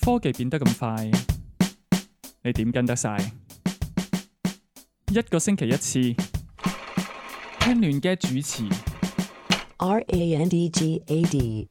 科技變得咁快，你點跟得晒？一個星期一次，聽亂嘅主持。RANDGAD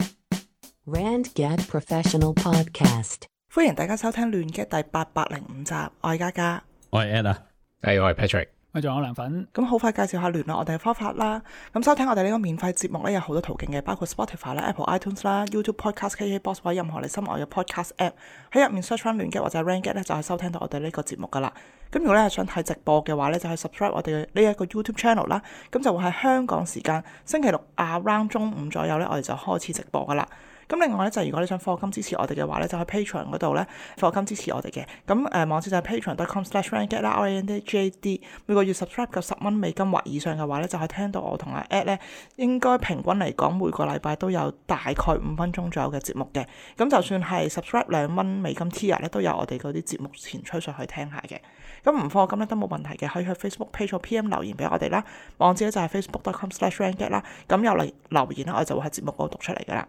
RandGad Professional Podcast。歡迎大家收聽亂嘅第805集，我係嘉嘉，我係 Ed 啊，我係 Patrick。我仲有涼粉。咁好快介紹下聯絡我哋嘅方法啦。咁收聽我哋呢個免費節目咧，有好多途徑嘅，包括 Spotify 啦、Apple iTunes 啦、YouTube Podcast、KKBox 或者任何你心愛嘅 Podcast App， 喺入面 search 翻亂嘅或者 RandGad 咧，就係收聽到我哋呢個節目噶啦。咁如果你係想睇直播嘅話咧，就係 subscribe 我哋呢一個 YouTube channel 啦。咁就會喺香港時間星期六around 中午左右咧，我哋就開始直播噶啦。咁另外咧，就如果你想課金支持我哋嘅話咧，就喺 Patreon 嗰度咧課金支持我哋嘅。咁網址就係 patreon.com/randgad 啦 ，RANDGAD。每個月 subscribe 夠10蚊美金或以上嘅話咧，就可以聽到我同阿 Ed 咧，應該平均嚟講每個禮拜都有大概5分鐘左右嘅節目嘅。咁就算係 subscribe 2蚊美金 tier 咧，都有我哋嗰啲節目前吹上去聽下嘅。咁唔課金咧都冇問題嘅，可以去 Facebook page 或 PM 留言俾我哋啦。網址咧就係 facebook.com/randgad 啦。咁有嚟留言咧，我哋就會喺節目嗰度讀出嚟噶啦。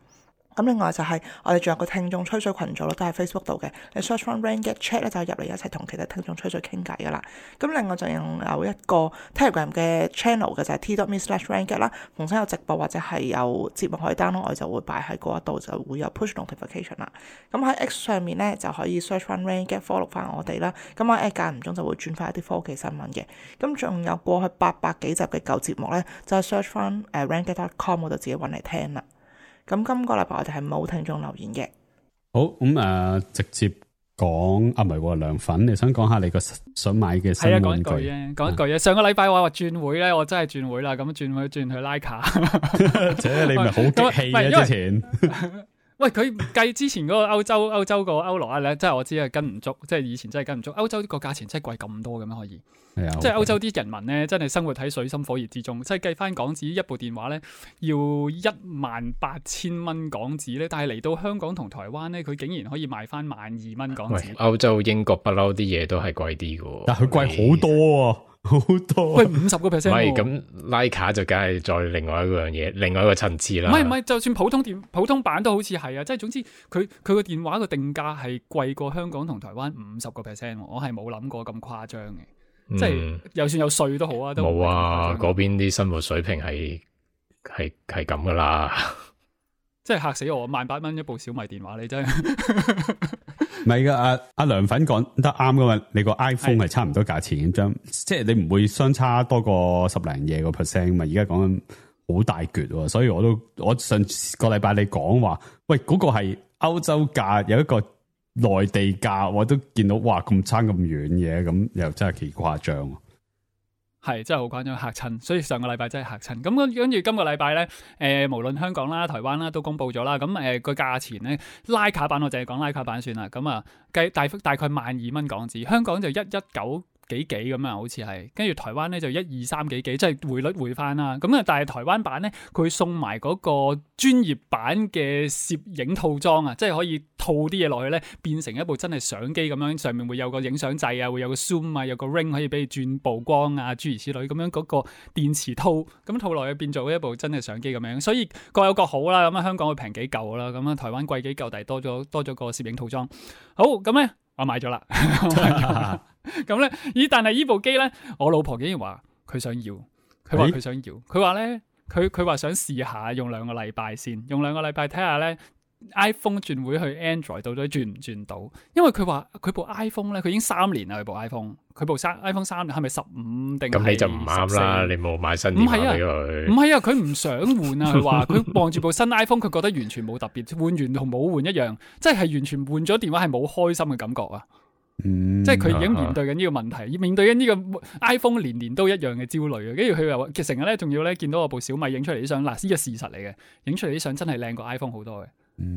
咁另外就係我哋仲有個聽眾吹水群組咯，都係 Facebook 度嘅。你 search 翻 RandGad Chat 咧，就入嚟一齊同其他聽眾吹水傾偈噶啦。咁另外就有一個 Telegram 嘅 channel 嘅，就係 t.me/randgad 啦。逢親有直播或者係有節目可以 download，我哋就會擺喺嗰一度，就會有 push notification 啦。咁喺 X 上面咧就可以 search 翻 RandGad follow 翻我哋啦。咁我間唔中就會轉翻一啲科技新聞嘅。咁仲有過去800幾集嘅舊節目咧，就係 search 翻randgad.com 嗰度自己揾嚟聽啦。咁今個禮拜我哋係冇聽眾留言嘅。好咁直接講唔係喎，涼粉，你想講下你個想買嘅新玩具？講一句啫。上個禮拜我話轉會咧，我真係轉會啦。咁轉會轉去拉卡，姐你咪好激氣嘅之前。喂，佢計之前嗰個歐洲個歐羅咧，真係我知係跟唔足，即係以前真係跟唔足。歐洲個價錢真係貴咁多嘅咩？可以？係啊，即係歐洲啲人民咧，真係生活喺水深火熱之中。即係計翻港紙一部電話咧，要18000蚊港紙咧，但係嚟到香港同台灣咧，佢竟然可以賣翻12000蚊港紙。歐洲英國不嬲啲嘢都係貴啲嘅，但係佢貴好多喎。好多喂，50%。唔係咁拉卡就梗係再另外一樣嘢，另外一個層次啦。唔係，就算普通版都好似係啊，即係總之佢個電話個定價係貴過香港同台灣50%，我係冇諗過咁誇張嘅。即係就算有稅都好啊，都冇啊，嗰邊啲生活水平係咁噶啦。即係嚇死我，18000蚊一部小米電話，你真係唔係噶，阿涼粉講得啱噶嘛？你個 iPhone 係差唔多價錢咁，即係你唔會相差多過10零嘢個 percent 嘛？而家講緊好大橛喎，所以我上個禮拜你講話，喂嗰個係歐洲價，有一個內地價，我都見到哇咁差咁遠嘅，咁又真係幾誇張。係真係好誇張，嚇親，所以上個禮拜真係嚇親。咁跟住今個禮拜咧，無論香港啦、台灣啦都公布咗啦。咁個價錢咧，拉卡版我淨係講拉卡版算啦。咁啊計大概12000蚊港紙，香港就119幾咁啊，好似係。跟住台灣咧就123幾，即係匯率匯翻啦。咁啊，但係台灣版咧，佢送埋嗰個專業版嘅攝影套裝啊，即係可以套啲嘢落去咧，變成一部真係相機咁樣，上面會有個影相掣啊，會有個 zoom 啊，有個 ring 可以俾你轉曝光啊，諸如此類咁樣，嗰個電池套咁套落去變做一部真係相機咁樣，所以各有各好啦。咁啊，香港會平幾嚿啦，咁啊台灣貴幾嚿，但係多咗個攝影套裝。好，咁咧我買咗啦。咁咧，但係呢部機咧，我老婆竟然話佢想要，佢話佢想要，佢話咧，佢話想試下用2個禮拜先，用2個禮拜睇下咧 iPhone 轉會去 Android 到底轉唔轉到？因為佢話佢部 iPhone 咧，佢已經3年啦，佢部 iPhone，佢部iPhone 3年係咪15定？咁你就唔啱啦，你冇買新電話俾佢。唔係啊，佢唔想換啊，佢話佢望住部新 iPhone，佢覺得完全冇特別，換完同冇換一樣，即係完全換咗電話係冇開心嘅感覺啊！即係佢已經面對緊呢個問題，面對緊呢個 iPhone 年都一樣嘅焦慮啊！跟住佢又其實成日咧，仲要咧見到我部小米影出嚟啲相，嗱呢個事實嚟嘅，影出嚟啲相真係靚過 iPhone 好多嘅，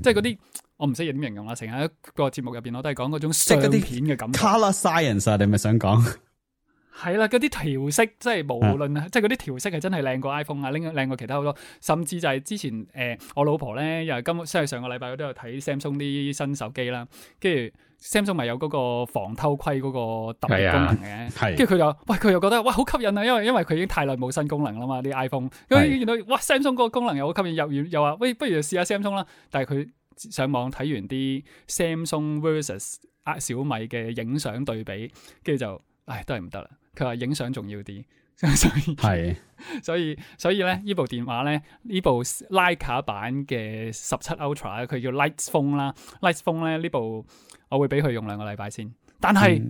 即係嗰啲我唔識點形容啦，成日喺個節目入邊我都係講嗰種相片嘅感覺。Color Science 啊，你咪想講？係啦，嗰啲調色即係無論即係嗰啲調色係真係靚過 iPhone 啊，靚過其他好多，甚至就係之前我老婆咧又係上個禮拜我都有睇 Samsung 啲新手機啦，跟住 Samsung 咪有嗰個防偷窺嗰個特別功能嘅，跟住佢又覺得哇好吸引啊，因為佢已經太耐冇新功能啦嘛啲 iPhone，咁見到哇 Samsung 嗰個功能又好吸引，又話喂不如試下 Samsung 啦，但係佢上網睇完啲 Samsung versus 小米嘅影相對比，跟住就都係唔得啦。佢話影相重要啲。係，所以咧，呢部電話咧，呢部徠卡版嘅17 Ultra 佢叫 Lite Phone 啦，Lite Phone 咧呢部我會俾佢用2個禮拜先。但係，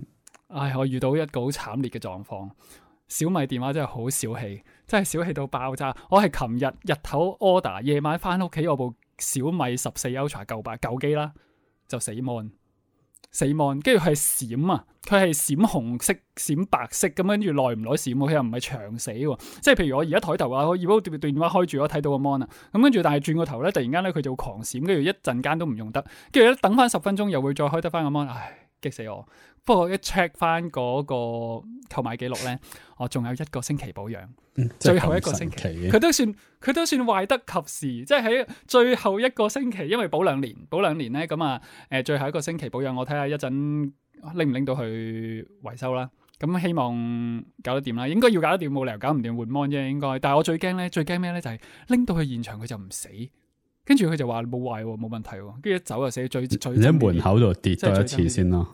我遇到一個好慘烈嘅狀況，小米電話真係好小氣，真係小氣到爆炸。我係琴日日頭 order， 夜晚翻屋企，我部小米14 Ultra 舊機啦，就死 mon。跟住係閃啊，佢係閃紅色、閃白色咁，跟住耐唔耐閃，佢又唔係長死喎。即係譬如我而家抬頭啊，我如果電話開住，我睇到個 mon 啊，咁跟住但係轉個頭咧，突然間咧佢就會狂閃，跟住一陣間都唔用得，跟住咧等翻10分鐘又會再開得翻個 mon，激死我！不過一 check 翻嗰個購買記錄咧，我仲有1個星期保養，最後1個星期，佢都算壞得及時，即係喺最後1個星期，因為保2年咧，咁啊最後1個星期保養，我睇下一陣拎唔拎到去維修啦。咁希望搞得掂啦，應該要搞得掂，冇理由搞唔掂換 mon 啫，應該。但係我最驚咩咧？就係拎到去現場佢就唔死。跟住佢就話冇壞喎，冇問題喎，跟住一走就死最。你喺門口度跌多一次先咯。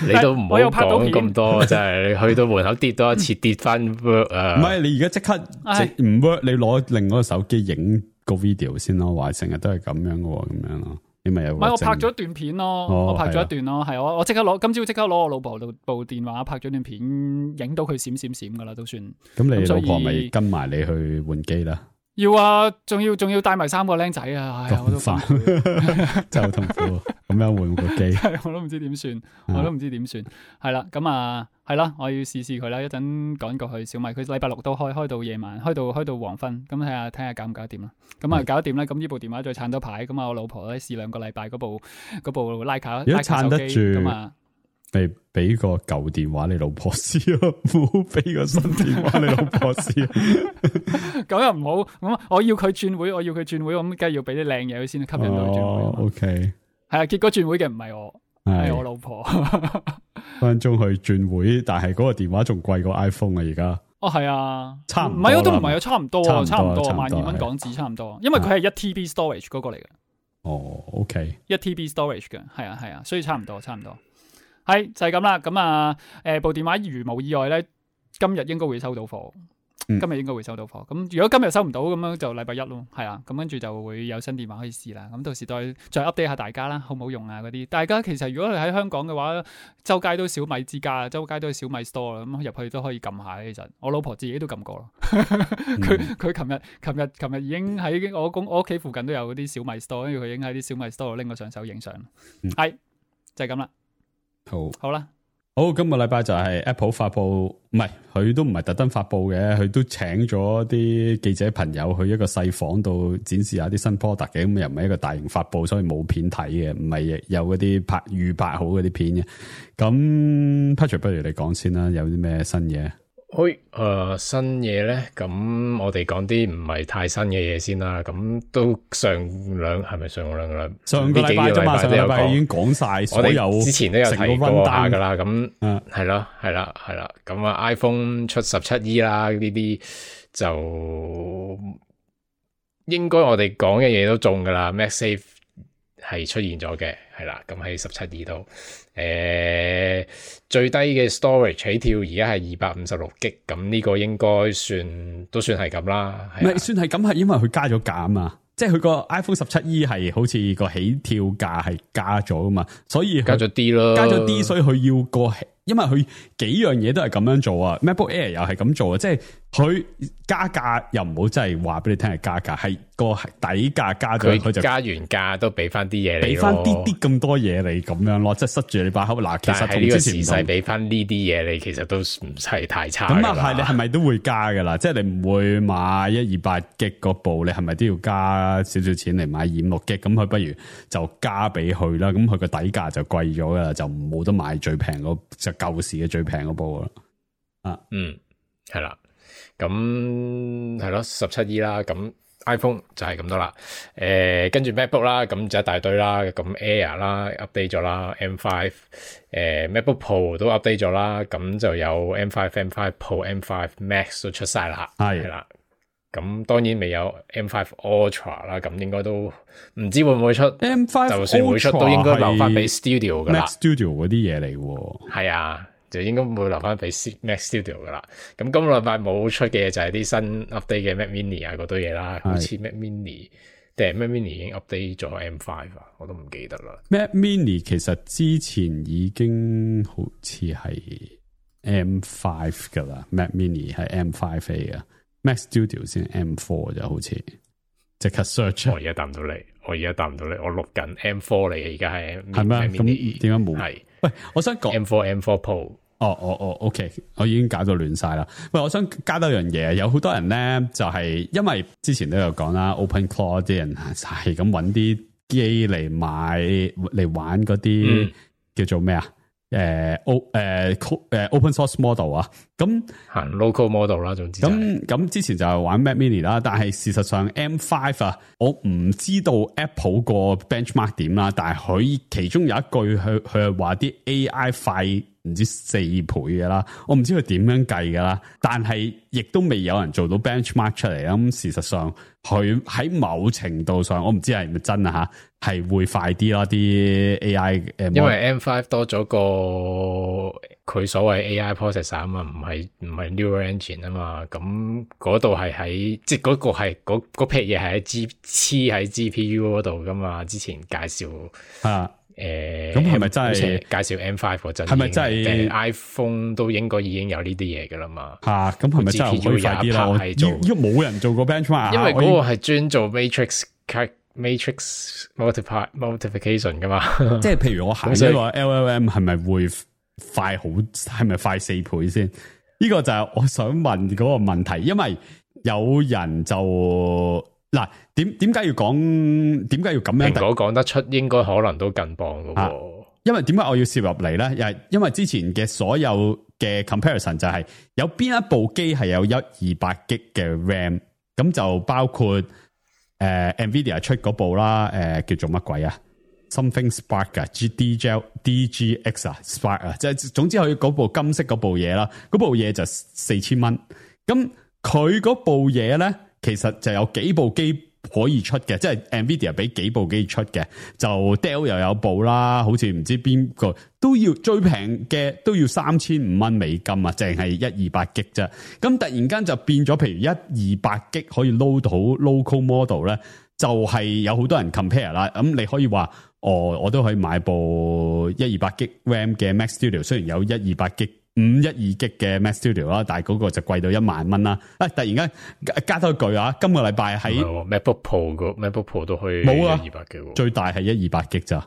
你都唔好講咁多，真係你去到門口跌多一次，跌翻 work 啊！唔係你而家即刻唔 work，你攞另外個手機影個 video 先咯，話成日都係咁樣嘅喎，咁樣咯，你咪有。唔係我拍咗一段片咯，我拍咗一段咯，係我即刻攞，今朝即刻攞我老婆部電話拍咗段片，影到佢閃閃閃噶啦，都算。咁你老婆咪跟埋你去換機啦？要啊，仲要帶埋3個僆仔啊！我都煩，真係好痛苦。咁樣換個機，我都唔知點算，係啦，咁啊，係啦，我要試佢啦。一陣趕過去小米，佢禮拜6都開到夜晚，開到黃昏，咁睇下搞唔搞得掂啦。咁啊，搞得掂咧，咁呢部電話再撐多排，咁啊，我老婆咧試2個禮拜嗰部徠卡，如果撐得住咁啊。咪俾個舊電話你老婆試咯，唔好俾個新電話你老婆試。咁又唔好，咁我要佢轉會，咁梗係要俾啲靚嘢佢先吸引到佢轉會。OK， 係啊，結果轉會嘅唔係我，係我老婆。分鐘去轉會，但係嗰個電話仲貴過 iPhone 啊！而家係啊，差唔多，唔係都唔係啊，差唔多，12,000蚊港紙差唔多，因為佢係1TB storage 嗰個嚟嘅。OK， 1TB storage 嘅，係啊，所以差唔多。係就係咁啦，咁啊，部電話如無意外咧，今日應該會收到貨。咁如果今日收唔到，咁樣就禮拜1咯，係啊，咁跟住就會有新電話可以試啦。咁到時再 update 下大家啦，好唔好用啊？嗰啲大家其實如果你喺香港嘅話，周街都小米之家，周街都係小米 store 啦，咁入去都可以撳下。其實我老婆自己都撳過咯，佢琴日已經喺我屋企附近都有嗰啲小米 store，跟住佢已經喺啲小米 store 拎個上手影相。係就係咁啦。好啦，好，今個禮拜就係 Apple 發布，唔係佢都唔係特登發布嘅，佢都請咗啲記者朋友去一個細房度展示下啲新 product 嘅，咁又唔係一個大型發布，所以冇片睇嘅，唔係有嗰啲預拍好嗰啲片嘅。咁 Patrick 不如你講先啦，有啲咩新嘢？新嘢咧，咁我哋講啲唔係太新嘅嘢先啦。咁都上個禮拜啫嘛，上個禮拜已經講晒所有，我哋之前都有提過下噶啦。咁係啦。咁啊 ，iPhone 出17E 啦，呢啲就應該我哋講嘅嘢都中噶啦。MagSafe 係出現咗嘅，係啦。咁喺17E度。最低嘅 storage 起跳而家係256G，咁呢個應該都算係咁啦。唔係算係咁，係因為佢加咗價啊嘛，即係佢個 iPhone 17E 係好似個起跳價係加咗啊嘛，所以加咗啲咯，加咗啲，所以佢要個，因為佢幾樣嘢都係咁樣做啊。MacBook Air 又係咁做啊，即係佢加價又唔好真係話俾你聽係加價，係個底價加咗，佢就加完價都俾翻啲嘢你，俾翻啲咁多嘢你咁樣咯，即係塞住你把口。嗱，其實同之前係俾翻呢啲嘢你，其實都唔係太差。咁啊係，你係咪都會加噶啦？即係你唔會買128G 嗰部，你係咪都要加少少錢嚟買256G？咁佢不如就加俾佢啦。咁佢個底價就貴咗噶啦，就冇得買最平嗰就舊時嘅最平嗰部啦。係啦。咁係咯，17E 啦，咁 iPhone 就係咁多啦。跟住 MacBook 啦，咁就一大堆啦。咁 Air 啦 update 咗啦 ，M5 MacBook Pro 都 update 咗啦。咁就有 M5 Pro、M5 Max 都出晒啦，係啦。咁當然未有 M5 Ultra 啦，咁應該都唔知會唔會出 M5 就算會出都應該留翻俾 Studio 噶啦 ，Mac Studio 嗰啲嘢嚟喎。係啊，就應該會留翻俾 Mac Studio 噶啦。咁今個禮拜冇出嘅就係啲新 update 嘅 Mac Mini 啊嗰堆嘢啦，好似 Mac Mini 定係 Mac Mini 已經 update 咗 M5 啊，我都唔記得啦。Mac Mini 其實之前已經好似係 M5 噶啦 ，Mac Mini 係 M5A 啊。Mac Studio 先 M4 就好似即刻 search。我而家答唔到你，我錄緊 M4 嚟嘅，而家係咩？咁點解冇？係喂，我想講 M4 Pro。OK， 我已經搞到亂晒啦。喂，我想加多樣嘢，有好多人咧就係因為之前都有講啦 ，OpenClaw 啲人係咁揾啲機嚟買嚟玩嗰啲叫做咩啊？open source model 啊，咁行 local model 啦，總之咁之前就係玩 Mac Mini 啦，但係事實上 M5 啊，我唔知道 Apple 個 benchmark 點啦，但係佢其中有一句佢係話啲 AI 快唔知4倍嘅啦，我唔知佢點樣計噶啦，但係亦都未有人做到 benchmark 出嚟啦。咁事實上佢喺某程度上，我唔知係咪真啊吓，係會快啲咯啲 AI 因為 M5 多咗個佢所謂 AI processor 啊嘛，唔係 neural engine 啊嘛，咁嗰度係喺即係嗰個係嗰撇嘢係喺黐喺 GPU 嗰度噶嘛，之前介紹啊。咁係咪真係介紹 M5 嗰陣？係咪真係 iPhone 都應該已經有呢啲嘢噶啦嘛？咁係咪真係可以快啲啦？因為冇人做過 benchmark，因為嗰個係專做 matrix multiplication 噶嘛。即係譬如我行咗個 LLM 係咪會快好？係咪快4倍先？呢個就係我想問嗰個問題，因為有人就。嗱，點解要講？點解要咁樣？蘋果講得出，應該可能都更棒噶喎。因為點解我要攝入嚟咧？又係因為之前嘅所有嘅 comparison 就係有邊一部機係有128G 嘅 RAM， 咁就包括NVIDIA 出嗰部啦，叫做乜鬼啊 ？Something Spark 啊 ，DGX 啊 ，Spark 啊，即係總之佢嗰部金色嗰部嘢啦，嗰部嘢就4000蚊。咁佢嗰部嘢咧？其實就有幾部機可以出嘅，即係 NVIDIA 俾幾部機出嘅，就 Dell 又有部啦，好似唔知邊個都要最平嘅都要3500蚊美金啊，淨係128G啫。咁突然間就變咗，譬如128G可以 load 到 local model 咧，就係有好多人 compare 啦。咁你可以話，我都可以買部128G RAM 嘅 Mac Studio， 雖然有128G。512G 嘅 Mac Studio 啦，但係嗰個就貴到10000蚊啦。突然間加多一句啊，今個禮拜喺 MacBook Pro 都可以冇啊，128G 最大係128G咋，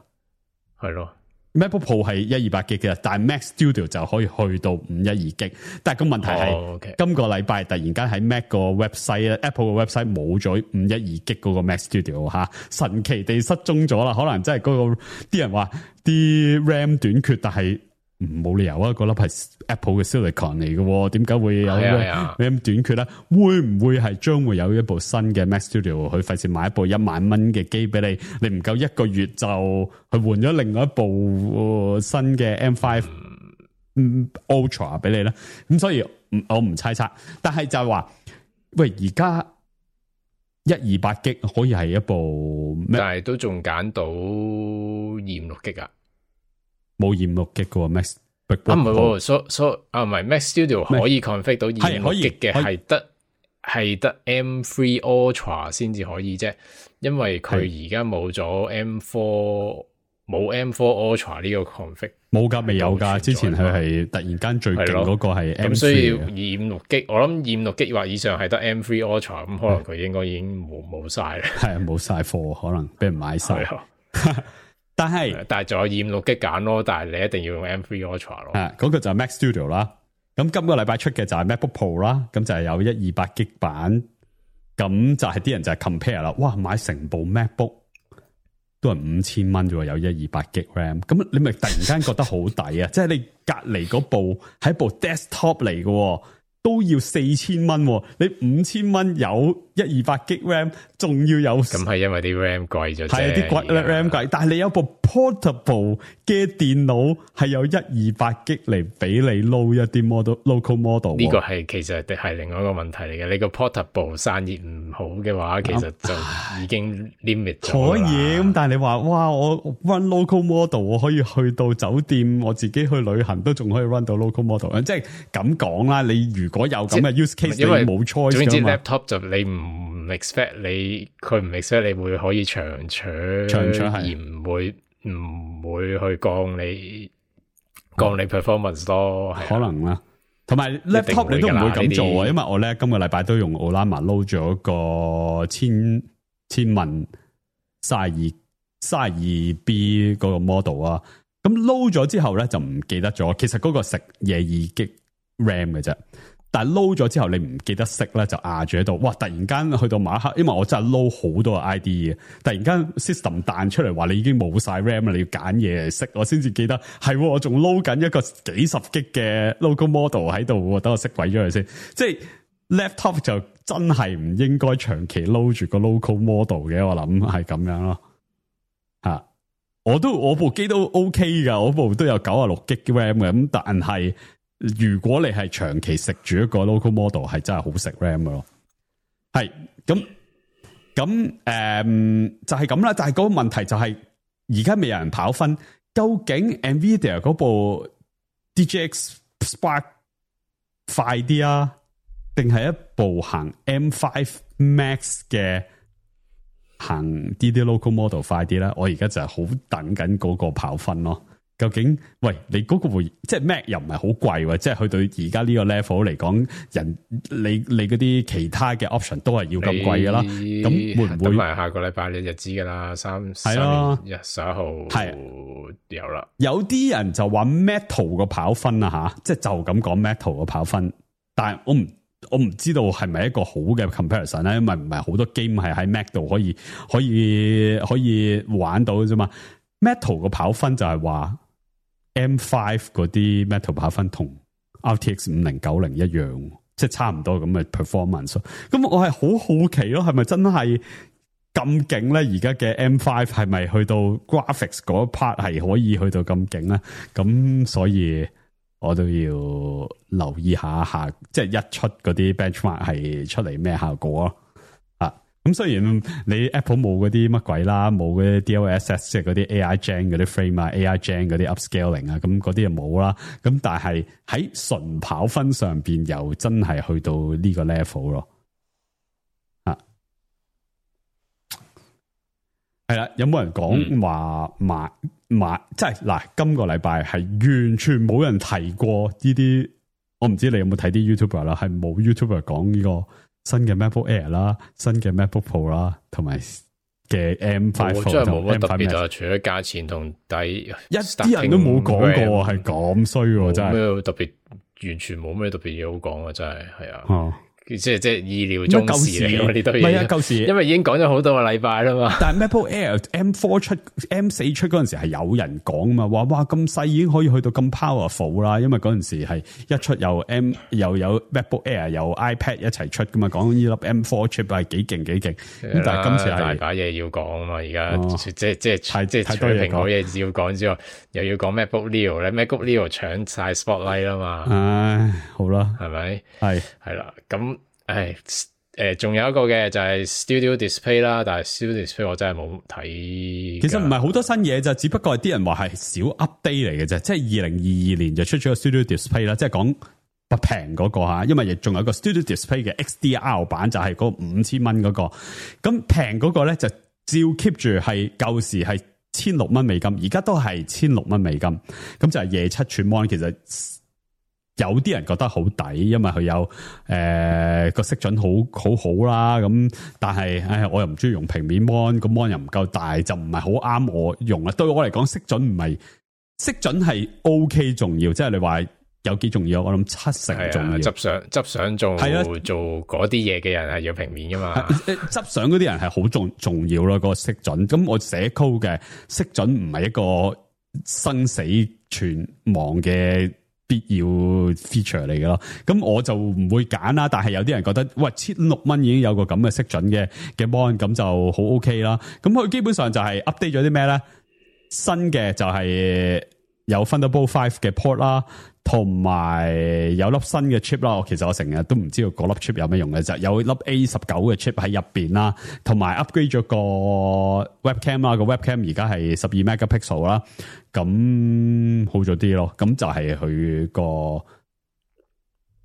係咯。MacBook Pro 係128G嘅，但係 Mac Studio 就可以去到512G。但係個問題係，今個禮拜突然間喺 Mac 個 website Apple 個 website 冇咗512G 嗰個 Mac Studio 吓，神奇地失蹤咗啦。可能真係嗰個啲人話啲 RAM 短缺，但係。冇理由啊！嗰粒係 Apple 嘅 Silicon 嚟嘅，點解會有咁短缺咧？會唔會係將會有一部新嘅 Mac Studio？佢費事買一部10000蚊嘅機俾你，你唔夠1個月就去換咗另外一部新嘅 M5 Ultra 俾你咧？咁所以我唔猜測，但係就係話，喂，而家128G可以係一部，但係都仲揀到256G啊！冇256G嘅 Mac， 唔係唔係 Mac Studio 可以 config 到256G嘅，係得 M3 Ultra 先至可以啫，因為佢而家冇咗 M4， 冇 M4 Ultra 呢個 config， 冇噶，未有噶，之前佢係突然間最勁嗰個係 M3， 咁所以256G，我諗256G或以上係得 M3 Ultra， 咁可能佢應該已經冇晒啦，係冇晒貨，可能俾人買晒。但係仲有256G揀咯，但係你一定要用 M3 Ultra 咯。嗰個就係 Mac Studio 啦。咁今個禮拜出嘅就係 MacBook Pro 啦，咁就係有128G 版。咁就係啲人就係 compare 啦。哇，買成部 MacBook 都係5000蚊啫喎，有128G RAM。咁你咪突然間覺得好抵啊！即係你隔離嗰部係部 desktop 嚟嘅，都要4000蚊，你5000蚊有128G RAM， 仲要有咁係因為啲 RAM 貴咗啫，係啲貴 RAM 貴，但係你有部 portable 嘅電腦係有128G嚟俾你 load 一啲 local model， 呢個係其實係另外一個問題嚟嘅。你個 portable 散熱唔好嘅話，其實就已經 limit 咗。可以咁，但係你話哇，我 run local model， 我可以去到酒店，我自己去旅行都仲可以 run 到 local model， 即係咁講啦。你如果有咁嘅 use case， 因為你冇 choice 總之㗎嘛。 laptop 就你唔 expect 佢唔 expect 你會可以長取而唔會去降你 performance 咯，可能啦。同埋 laptop 你都唔會咁做啊，因為我咧今個禮拜都用 Ollama load 咗個千萬32B 嗰個 model 啊。咁 load 咗之後咧就唔記得咗，其實嗰個食2G RAM 嘅啫。但係 load 咗之後你唔記得熄咧，就壓住喺度。哇！突然間去到馬克，因為我真係 load 好多個 ID 嘅，突然間 system 彈出嚟話你已經冇晒 RAM 啦，你要揀嘢嚟熄，我先至記得係我仲 load 緊一個幾十 G 嘅 local model 喺度，等我熄鬼咗佢先。即係 laptop 就真係唔應該長期 load 住個 local model 嘅，我諗係咁樣咯。吓，我部機都 OK 噶，我部都有96G RAM 嘅，咁但係。如果你係長期食住一個 local model， 係真係好食 RAM 嘅咯。係咁就係咁啦。但係嗰個問題就係而家未有人跑分，究竟 Nvidia 嗰部 DGX Spark 快啲啊，定係一部行 M5 Max 嘅行啲 local model 快啲咧？我而家就係好等緊嗰個跑分咯。究竟喂，你嗰個即係 Mac 又唔係好貴喎，即係去到而家呢個 level 嚟講，你嗰啲其他嘅 option 都係要咁貴噶啦，咁會唔會等埋下個禮拜你就知噶啦？3月11號係有啦。有啲人就話 Metal 個跑分啊吓，即係就咁講 Metal 個跑分，但係我唔知道係咪一個好嘅 comparison 咧，因為唔係好多 game 係喺 Mac 度可以玩到啫嘛。Metal 個跑分就係話。M5 嗰啲 Metal 跑分同 RTX 5090一樣，即係差唔多咁嘅 performance。咁我係好好奇咯，係咪真係咁勁咧？而家嘅 M5 係咪去到 graphics 嗰 part 係可以去到咁勁咧？咁所以我都要留意下，即係一出嗰啲 benchmark 係出嚟咩效果咯。咁雖然你 Apple 冇嗰啲乜鬼啦，冇嗰啲 DLSS 即係嗰啲 AI Gen 嗰啲 frame 啊 ，AI Gen 嗰啲 upscaling 啊，咁嗰啲又冇啦。咁但係喺純跑分上邊又真係去到呢個 level 咯。係啦，有冇人講話買？即係嗱，今個禮拜係完全冇人提過呢啲。我唔知你有冇睇啲 YouTuber 啦，係冇 YouTuber 講呢個。新嘅 MacBook Air 啦，新嘅 MacBook Pro 啦，同埋嘅 M5 真係冇乜特別啊！除咗價錢同底，一啲人都冇講過，係咁衰喎，真係。咩特別？完全冇咩特別嘢好講啊！真係係啊。即係意料中事嚟，呢堆嘢。唔係啊，舊時因為已經講咗好多個禮拜啦嘛。但係 MacBook Air M4 出 M4 出嗰陣時係有人講嘛，話哇咁細已經可以去到咁 powerful 啦。因為嗰陣時係一出又有 MacBook Air 有 iPad 一齊出噶嘛，講呢粒 M4 chip 係幾勁幾勁。咁但係今次係大把嘢要講啊嘛，而家即係除咗蘋果嘢要講之外，又要講 MacBook Neo 咧，MacBook Neo 搶晒 spotlight 啦嘛。唉，好啦，係咪？係啦，咁。仲有一個嘅就係 Studio Display 啦，但係 Studio Display 我真係冇睇。其實唔係好多新嘢就只不過係啲人話係小 update 嚟嘅啫，即係2022年就出咗個 Studio Display 啦，即係講不平嗰個吓，因為亦仲有一個 Studio Display 嘅 XDR 版，就係嗰5000蚊嗰個，咁平嗰個咧就照 keep 住係舊時係1600蚊美金，而家都係1600蚊美金，咁就係27寸 mon， 其實。有啲人覺得好抵，因為佢有個色準好啦，咁但係我又唔中意用平面 mon， 個 mon 又唔夠大，就唔係好啱我用啦。對我嚟講，色準係 OK 重要，即係你話有幾重要？我諗70%重要。執相做嗰啲嘢嘅人係要平面噶嘛？執相嗰啲人係好重要咯，個色準。咁我寫 code 嘅色準唔係一個生死存亡嘅必要 feature 嚟嘅咯。咁我就唔會揀啦，但係有啲人覺得喂，16蚊已經有個咁嘅色準嘅 mon， 咁就好 OK 啦。咁佢基本上就係 update 咗啲咩咧？新嘅就係有 Thunderbolt 5嘅 port 啦。同埋有粒新嘅 chip 啦，其實我成日都唔知道嗰粒 chip 有咩用嘅，就有粒 A19 嘅 chip 喺入邊啦，同埋 upgrade 咗個 webcam 啦，個 webcam 而家係12 megapixel 啦，咁好咗啲咯，咁就係佢個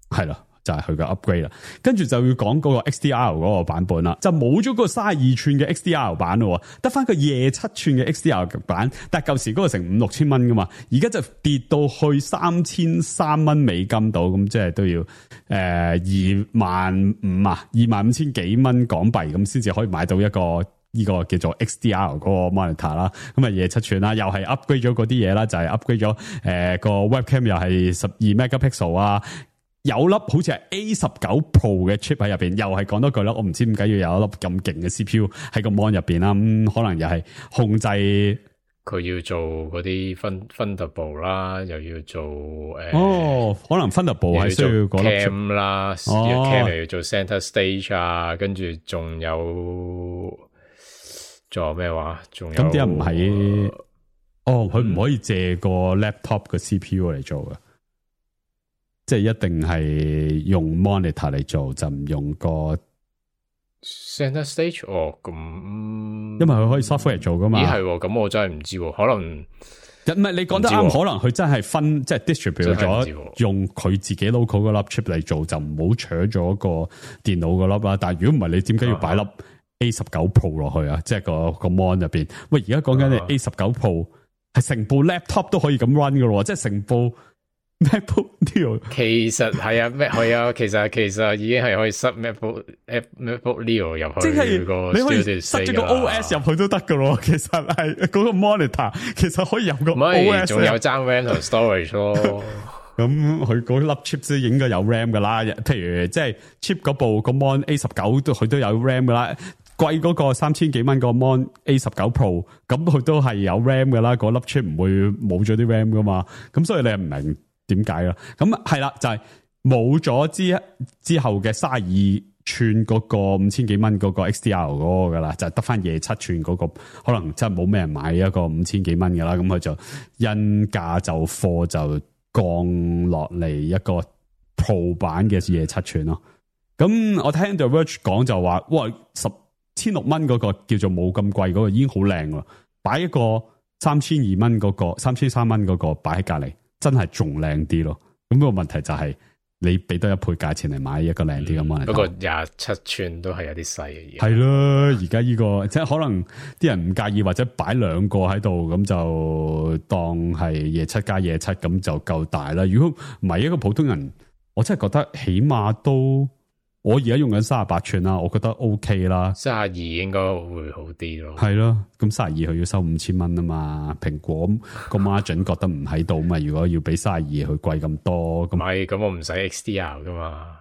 係啦。就係佢個 upgrade 啦，跟住就要講嗰個 XDR 嗰個版本啦，就冇咗個32寸嘅 XDR 版咯，得翻個27寸嘅 XDR 版，但係舊時嗰個成5-6千蚊噶嘛，而家就跌到去3300蚊美金度，咁即係都要25,000幾蚊港幣咁先至可以買到一個呢個叫做 XDR 嗰個 monitor 啦，咁啊27寸啦，又係 upgrade 咗嗰啲嘢啦，就係 upgrade 咗個 webcam 又係12 megapixel 啊。有粒好似係 A19 Pro 嘅 chip 喺入邊，又係講多句啦，我唔知點解要有一粒咁勁嘅 CPU 喺個 mon 入邊啦，可能又係控制佢要做嗰啲 Thunderbolt 啦，又要做可能 Thunderbolt 係需要嗰粒 cam 啦，cam 又要做 center stage 啊，跟住仲有咩話？仲有咁啲人唔係佢唔可以借個 laptop 嘅 CPU 嚟做嘅。即係一定係用 monitor 嚟做，就唔用個 center stage 咁，因為佢可以 software 嚟做噶嘛。咦係，咁我真係唔知，可能唔係你講得啱，可能佢真係分即係 distribute 咗，用佢自己 local 嗰粒 chip 嚟做，就唔好搶咗個電腦嗰粒啦。但係如果唔係，你點解要擺粒 A19 Pro 落去啊？即係個 mon 入邊。喂，而家講緊你 A19 Pro 係成部 laptop 都可以咁 run 噶咯，即係成部。MacBook Neo 其實係啊，係啊，其實已經係可以塞 MacBook Neo 入去，即係你可以塞咗個 OS 入去都得噶咯。其實係嗰個 monitor 其實可以有個 OS， 仲有爭 RAM 同 storage 咯。咁佢嗰粒 chip 都應該有 RAM 噶啦。譬如即係 chip 嗰部個 Mon A19 都佢都有 RAM 噶啦。貴嗰個3000幾蚊個 Mon A19 Pro， 咁佢都係有 RAM 噶啦。嗰粒 chip 唔會冇咗啲 RAM 噶嘛。咁所以你唔明點解啦？咁係啦，就係冇咗之後嘅32寸嗰個5000幾蚊嗰個 XDR 嗰個噶啦，就係得翻27寸嗰個，可能真係冇咩人買一個5000幾蚊噶啦。咁佢就因價就貨就降落嚟一個 Pro 版嘅27寸咯。咁我聽 The Verge 講就話，哇，1,600蚊嗰個叫做冇咁貴嗰個已經好靚啦，擺一個3200蚊嗰個3300蚊嗰個擺喺隔籬。真係仲靚啲咯，咁個問題就係你俾多一倍價錢嚟買一個靚啲嘅 monitor。不過27寸都係有啲細嘅嘢。係咯，而家呢個即係可能啲人唔介意，或者擺兩個喺度，咁就當係27+27咁就夠大啦。如果唔係一個普通人，我真係覺得起碼都。我而家用緊38寸啦，我覺得 OK 啦。32應該會好啲咯。係咯，咁32佢要收5000蚊啊嘛。蘋果個 margin 覺得唔喺度嘛。如果要俾32佢貴咁多，咁唔係，咁我唔使 XDR 噶嘛。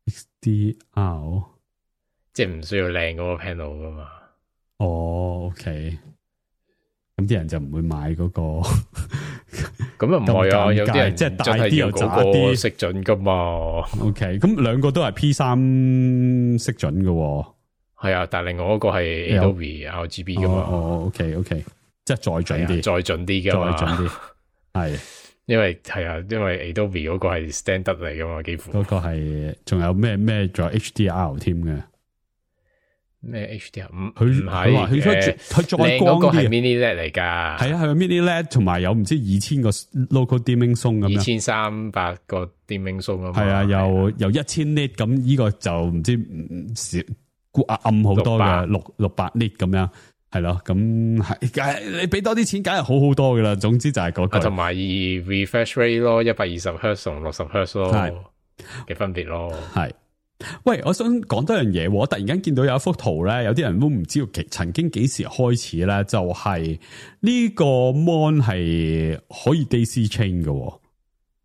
XDR 即係唔需要靚嗰個 panel 噶嘛。哦 ，OK。咁啲人就唔會買嗰個。咁又唔係啊，有啲人即係大啲又渣啲，色準噶嘛。OK，咁兩個都係 P3 色準嘅。係啊，但係另外嗰個係 Adobe RGB 噶嘛。OK，即係再準啲，再準啲噶嘛，再準啲。係，因為 Adobe 嗰個係 standard 嚟噶嘛，幾乎。嗰個係，仲有咩仲有 HDR 添嘅。咩 HDR？ 佢話佢再光啲係 mini LED 嚟噶。係啊，係 mini LED 同埋有唔知2000個 local dimming zone 咁樣。2300個 dimming zone 啊嘛。係啊，又1000 nit 咁呢個就唔知暗好多嘅600 nit 咁樣。係咯，咁係你俾多啲錢，梗係好好多噶啦。總之就係嗰個。同埋 refresh rate 咯120 Hz 同60 Hz 咯嘅分別咯。係。喂，我想講多樣嘢。我突然間見到有一幅圖咧，有啲人都唔知道曾經幾時開始咧，就係呢個 mon 係可以 daisy chain 嘅。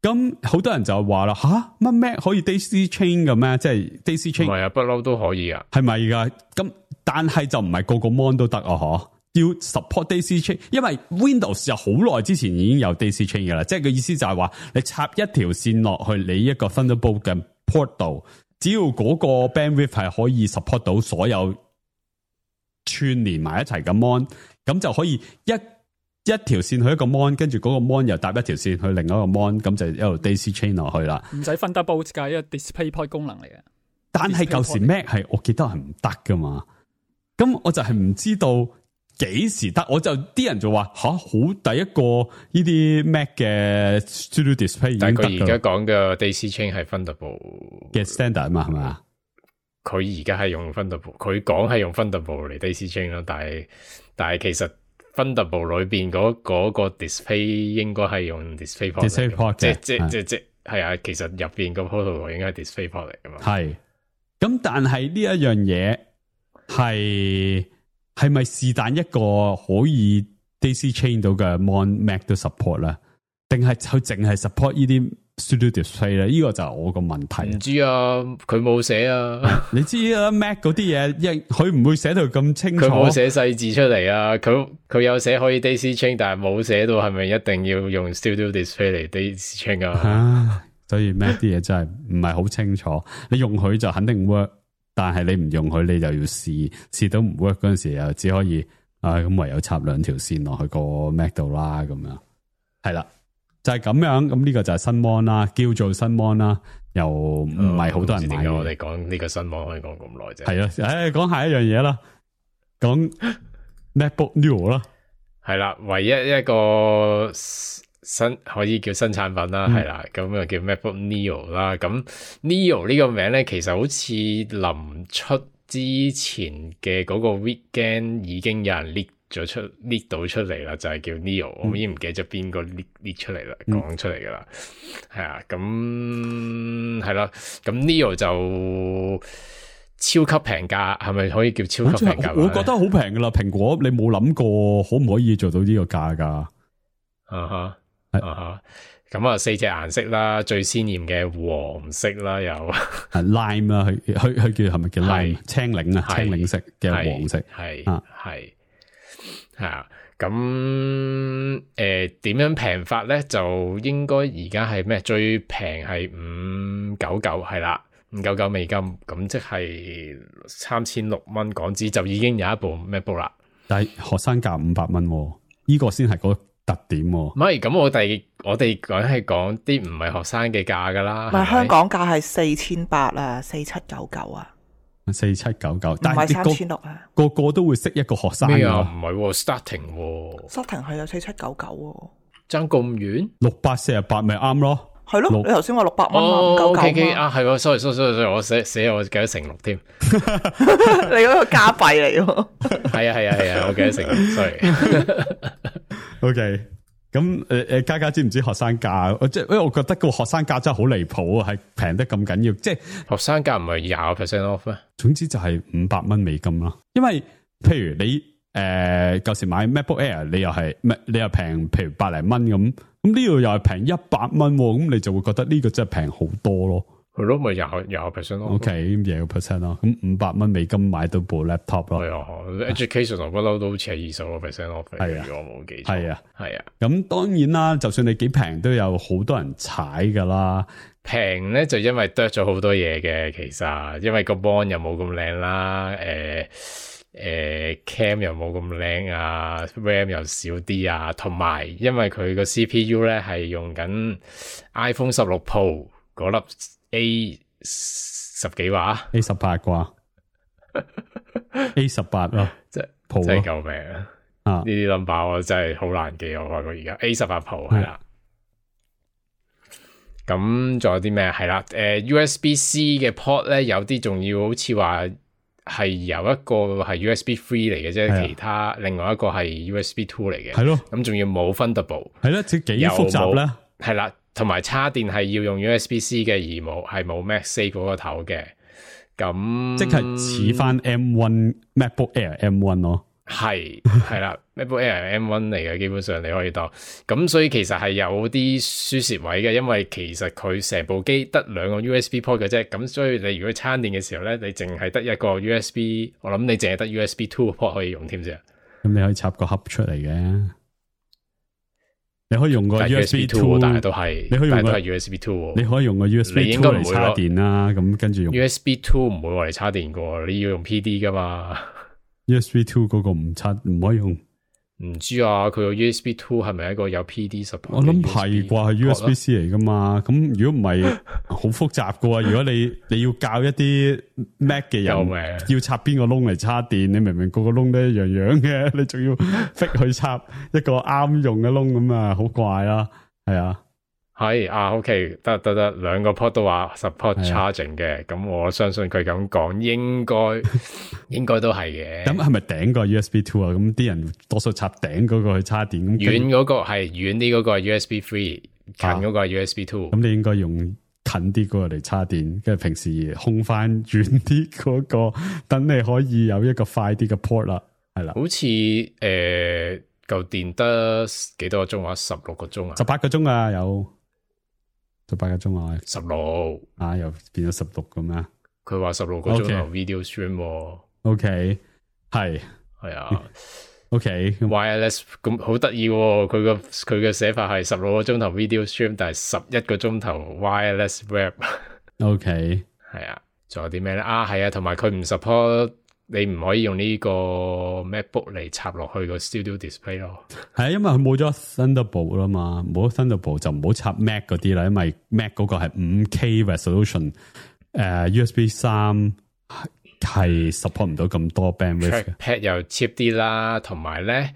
咁好多人就話啦，乜 Mac 可以 daisy chain 嘅咩？即係 daisy chain 唔係啊，不嬲都可以啊，係咪噶？咁但係就唔係個個 mon 都得啊，嗬？要 support Daisy Chain， 因為 Windows 就好耐之前已經有 Daisy Chain 嘅啦，即係個意思就係話你插一條線落去你一個 Thunderbolt 嘅 port 度，只要嗰個 bandwidth 係可以 support 到所有串連埋一齊嘅 mon， 咁就可以一條線去一個 mon， 跟住嗰個 mon 又搭一條線去另一個 mon， 咁就一路 Daisy Chain 落去啦。唔使 Thunderbolt 㗎，一個 DisplayPort 功能嚟嘅。但係舊時 Mac 係我記得係唔得噶嘛，咁我就係唔知道幾時得，我就啲人就話好第一個呢啲 Mac 嘅 Studio Display 已經得㗎。但係佢而家講嘅 Daisy Chain 係 Thunderbolt 嘅 standard 啊嘛，係咪啊？佢而家係用 Thunderbolt， 佢講係用 Thunderbolt 嚟 Daisy Chain 啦，但係其實 Thunderbolt 裏邊嗰個 display 應該係用 DisplayPort， 即係啊，其實入邊個 protocol 應該係 DisplayPort 嚟噶嘛。係。咁但係呢一樣嘢係咪是但一個可以 Daisy Chain 到嘅 Mon Mac 都 support 咧？定係佢淨係 support 呢啲 Studio Display 咧？呢個就係我個問題。唔知啊，佢冇寫啊。你知啊 Mac 嗰啲嘢，佢唔會寫到咁清楚。佢冇寫細字出嚟啊。佢有寫可以 Daisy Chain， 但係冇寫到係咪一定要用 Studio Display 嚟 Daisy Chain 啊？所以 Mac 啲嘢真係唔係好清楚，你用佢就肯定 work， 但係你唔用佢你就要試到唔 work 嗰陣時又只可以咁唯有插兩條線落去個 Mac 度啦，咁樣係啦，就係咁樣。咁呢個就係新 mon 啦，叫做新 mon 啦，又唔係好多人買嘅。我哋講呢個新 mon 可以講咁耐啫。係啊，講下一樣嘢啦，講 MacBook Neo 啦，係啦，唯一一個新可以叫新產品啦，係啦，咁就叫 MacBook Neo 啦。咁 Neo 呢個名咧，其實好似臨出之前嘅嗰個 weekend 已經有人 leak 到出嚟啦，就係叫 Neo。我已經唔記得咗邊個 leak 出嚟啦，講出嚟噶啦，係啊。咁係啦，咁 Neo 就超級平價，係咪可以叫超級平價？我覺得好平噶啦，蘋果你冇諗過可唔可以做到呢個價噶？咁啊，四隻顏色啦，最鮮艷嘅黃色啦，有lime 啦，佢叫係咪叫 lime 青檸啊？青檸色嘅黃色，係啊。咁點樣平法咧？就應該而家係咩？最平係599，係啦，599美金，咁即係3600蚊港紙就已經有一部 MacBook 啦。但係學生價500蚊，呢個先係嗰特點。唔係，咁我哋講係講啲唔係學生嘅價噶啦。唔係，香港價係4800啊，4799啊，4799，但係3600啊。個個都會識一個學生咩啊？唔係，starting 係有4799，爭咁遠，648咪啱咯。係咯，你頭先話600蚊，599啊，係喎，sorry，我寫我記得成6添。你嗰個加幣嚟喎。係啊，我記得成6 sorry。OK， 咁家知唔知學生價？即係因為我覺得個學生價真係好離譜啊，係平得咁緊要。即係學生價唔係20% off 咩？總之就係500蚊美金啦。因為譬如你舊時買 MacBook Air， 你又平，譬如100零蚊咁。咁呢度又係平100蚊，咁你就會覺得呢個真係平好多咯。係咯，咪20% 咯。OK， 20% 咯。咁500蚊美金買到部 laptop 咯。係啊 ，education 我不嬲都好似係20% off。係啊，如果我冇記錯。係啊。咁當然啦，就算你幾平，都有好多人踩噶啦。平咧就因為剁咗好多嘢嘅，其實因為個 mon 又冇咁靚啦，cam 又冇咁靚啊 ，RAM 又少啲啊，同埋因為佢個 CPU 咧係用緊 iPhone 16 Pro 嗰粒 A 10幾話 A18 啩A18 咯，真係救命啊！呢啲 number 我真係好難記，我發覺而家 A18 Pro 係啦。咁仲有啲咩？係啦，USB-C 嘅 port 咧，有啲仲要好似話係有一個係 USB 3嚟嘅啫，其他另外一個係 USB 2嚟嘅。係咯，咁仲要冇 Thunderbolt。係咯，即係幾複雜咧。係啦，同埋插電係要用 USB-C 嘅，而冇 MagSafe 嗰個頭嘅。咁即係似翻 M1 MacBook Air M1 咯。係啦，MacBook Air M1 嚟嘅，基本上你可以當咁，所以其實係有啲輸蝕位嘅，因為其實佢成部機得2個 USB port 嘅啫，咁所以你如果撐電嘅時候咧，你淨係得一個 USB， 我諗你淨係得 USB 2 port 可以用添啫。咁你可以插個盒出嚟嘅。你可以用個 USB 2，但係都係，你可以用個 USB 2，你可以用個 USB 2嚟插電啦。咁跟住用 USB 2唔會話嚟插電噶，你要用 PD 噶嘛。USB 2嗰個唔插，唔可以用。唔知啊，佢個 USB 2係咪一個有 PD support？我諗係啩，係 USB-C 嚟噶嘛。咁如果唔係，好複雜噶喎。如果你要教一啲 Mac 嘅人要插邊個窿嚟插電，你明明個個窿都一樣樣嘅，你仲要逼佢插一個啱用嘅窿咁啊，好怪啦。係啊。係啊 ，OK， 得，兩個 port 都話 support charging 嘅，咁我相信佢咁講，應該都係嘅。咁係咪頂個 USB 2啊？咁啲人多數插頂嗰個去插電，咁遠嗰個係遠啲嗰個係 USB 3，近嗰個係 USB 2。咁你應該用近啲嗰個嚟插電，跟住平時空翻遠啲嗰個，等你可以有一個快啲嘅 port 啦。係啦，好似嚿電得幾多個鐘啊？16個鐘啊？18個鐘啊，有。18個鐘啊，16啊，又變咗16咁啊！佢話16個鐘頭 video stream，OK，係啊 ，OK wireless 咁好得意喎！佢嘅寫法係16個鐘頭 video stream，但係11個鐘頭 wireless web，OK， 係啊，仲有啲咩咧？啊，係啊，同埋佢唔 support。你唔可以用呢個 MacBook 嚟插落去個 Studio Display 咯。係啊，因為佢冇咗 Thunderbolt 啦嘛，冇咗 Thunderbolt 就唔好插 Mac 嗰啲啦，因為 Mac 嗰個係 5K resolution， USB 3係 support 唔到咁多 bandwidth。Trackpad 又 cheap 啲啦，同埋咧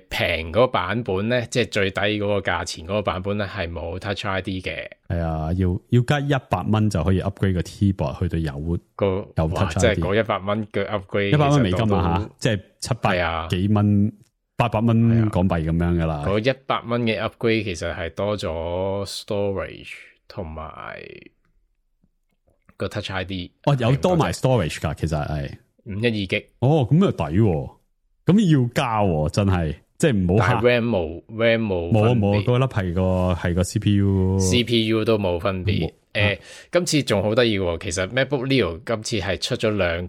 平嗰個版本咧，即係最低嗰個價錢嗰個版本咧係冇 Touch ID 嘅。係啊，要加100蚊就可以 upgrade 個 keyboard 去到有 Touch ID。即係嗰100蚊嘅 upgrade， 100蚊美金啊吓，即係700幾蚊，800蚊港幣咁樣噶啦。嗰100蚊嘅 upgrade 其實係多咗 storage 同埋個 Touch ID。哦，有多埋 storage 噶，其實係512 G。哦，咁又抵喎。咁要加喎，真係，即係唔好。但係 RAM 冇，嗰粒係個 CPU 都冇分別。今次仲好得意喎，其實 MacBook Neo 今次係出咗兩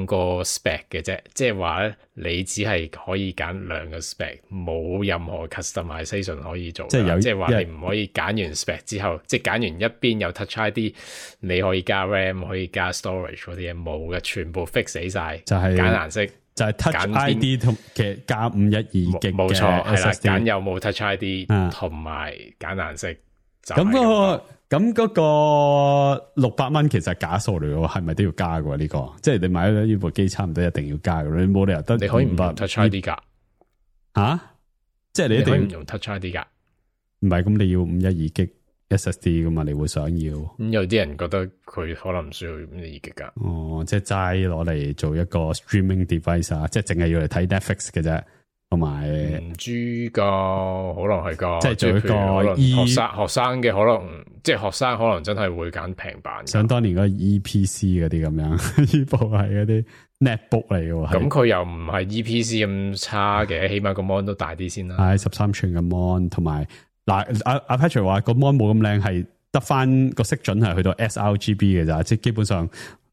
個 spec 嘅啫，即係話咧你只係可以揀兩個 spec， 冇任何 customization 可以做。即係話你唔可以揀完 spec 之後，即係揀完一邊有 Touch ID， 你可以加 RAM 可以加 storage 嗰啲嘢冇嘅，全部 fix 死晒，就係揀顏色。就係 Touch ID 同嘅加512 G 冇錯，係啦，揀有冇 Touch ID 同埋揀顏色。咁嗰個600蚊其實係假數嚟嘅，係咪都要加嘅呢個？即係你買咗呢部機差唔多一定要加嘅，你冇理由得。你可以唔 Touch ID 噶吓？即係你一定唔用 Touch ID 噶？唔係，咁你要512 G SSD 噶嘛？你會想要？咁有啲人覺得佢可能唔需要512 G 噶。哦，即係齋攞嚟做一個 streaming device 啊，即係淨係要嚟睇 Netflix 嘅啫。同埋唔知噶，可能係噶，即係做一個學生嘅可能，即係學生可能真係會揀平板。想當年嗰個 EPC 嗰啲咁樣，呢部係嗰啲 netbook 嚟嘅。咁佢又唔係 EPC 咁差嘅，起碼個 mon 都大啲先啦。係13寸嘅 mon， 同埋嗱阿 Patrick 話個 mon 冇咁靚，係得翻個色準係去到 sRGB 嘅咋，即係基本上。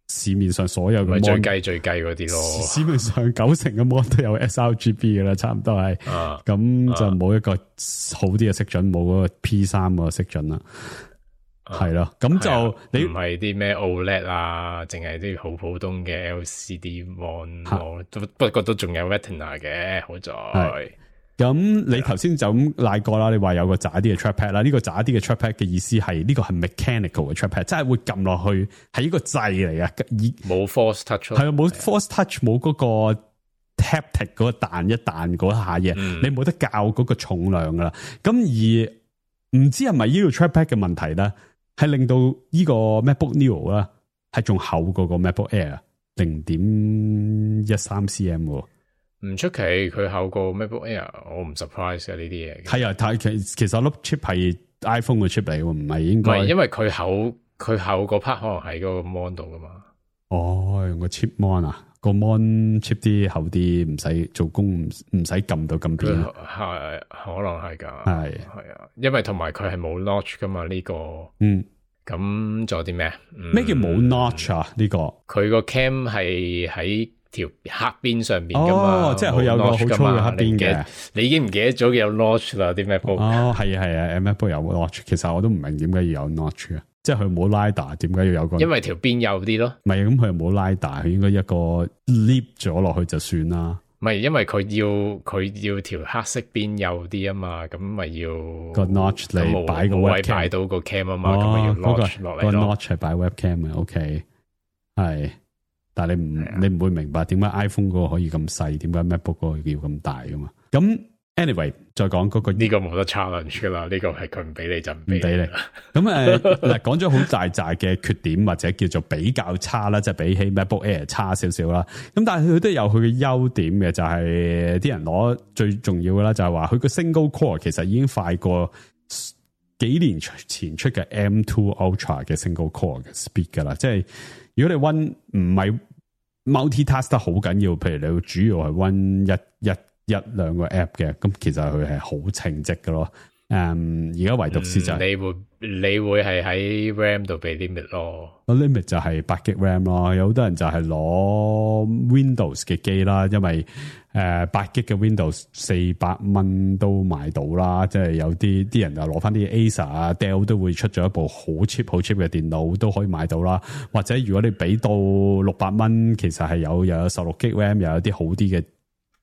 市面上所有嘅 mon 最計嗰啲咯，市面上90%嘅 mon 都有 sRGB 嘅啦，差唔多係，咁就冇一個好啲嘅色準，冇嗰個 P3 個色準啦，係咯，咁就你唔係啲咩 OLED 啊，淨係啲好普通嘅 LCD mon，不過都仲有 Retina 嘅，好在。咁你頭先就咁賴過啦，你話有個渣啲嘅 trackpad 啦，呢個渣啲嘅 trackpad 嘅意思係呢個係 mechanical 嘅 trackpad， 即係會撳落去係一個掣嚟嘅，冇 force touch， 係啊，冇 force touch， 冇嗰個 haptic 嗰個彈一彈嗰下嘢，你冇得校嗰個重量噶啦。咁而唔知係咪呢個 trackpad 嘅問題咧，係令到呢個 MacBook Neo 啦係仲厚過個 MacBook Air 0.13 cm 喎。唔出奇，佢厚過 MacBook Air， 我唔 surprise 嘅呢啲嘢。係啊，但係其實粒 chip 係 iPhone 嘅 chip 嚟喎，唔係應該。唔係，因為佢厚嗰 part 可能喺嗰個 mon 度噶嘛。哦，用個 chip mon 啊，個 mon chip 啲厚啲，唔使做工，唔使撳到咁邊。係可能係噶，係啊，因為同埋佢係冇 notch 噶嘛呢個。咁仲有啲咩？咩叫冇 notch 啊？呢個佢個 cam 係喺條黑邊上面噶嘛，即係佢有個好粗嘅黑邊嘅。你已經唔記得咗有 notch 啦啲 MacBook。係啊 ，MacBook 有 notch， 其實我都唔明點解要有 notch 啊，即係佢冇 LiDAR， 點解要有個？因為條邊幼啲咯。唔係，咁佢又冇 LiDAR， 佢應該一個 lift 咗落去就算啦。唔係，因為佢要條黑色邊幼啲啊嘛，咁咪要個 notch 嚟擺個 webcam， 擺到個 cam 啊嘛，咁咪要 notch 落嚟咯。個 notch 係擺 webcam 嘅 ，OK， 係。但係你唔會明白點解 iPhone 嗰個可以咁細，點解 MacBook 嗰個要咁大噶嘛？咁 anyway 再講嗰個呢個冇得 challenge 噶啦，呢個係佢唔俾你就唔俾你。咁嗱講咗好大扎嘅缺點或者叫做比較差啦，即係比起 MacBook Air 差少少啦。咁但係佢都有佢嘅優點嘅，就係啲人攞最重要嘅啦，就係話佢個 single core 其實已經快過幾年前出嘅 M2 Ultra 嘅 single core 嘅 speed 噶啦，即係。如果你 run 唔係 multitask 得好緊要，譬如你主要係 run 一兩個 app 嘅，咁其實佢係好稱職嘅咯。而家唯獨是就係你會係喺 RAM 度俾 limit 咯。limit 就係8GB RAM 咯，有好多人就係攞 Windows 嘅機啦，因為8GB 嘅 Windows 400蚊都買到啦，即係有啲人就攞翻啲 Acer 啊 Dell 都會出咗一部好 cheap 嘅電腦都可以買到啦，或者如果你俾到600蚊，其實係又有16GB RAM，又有啲好啲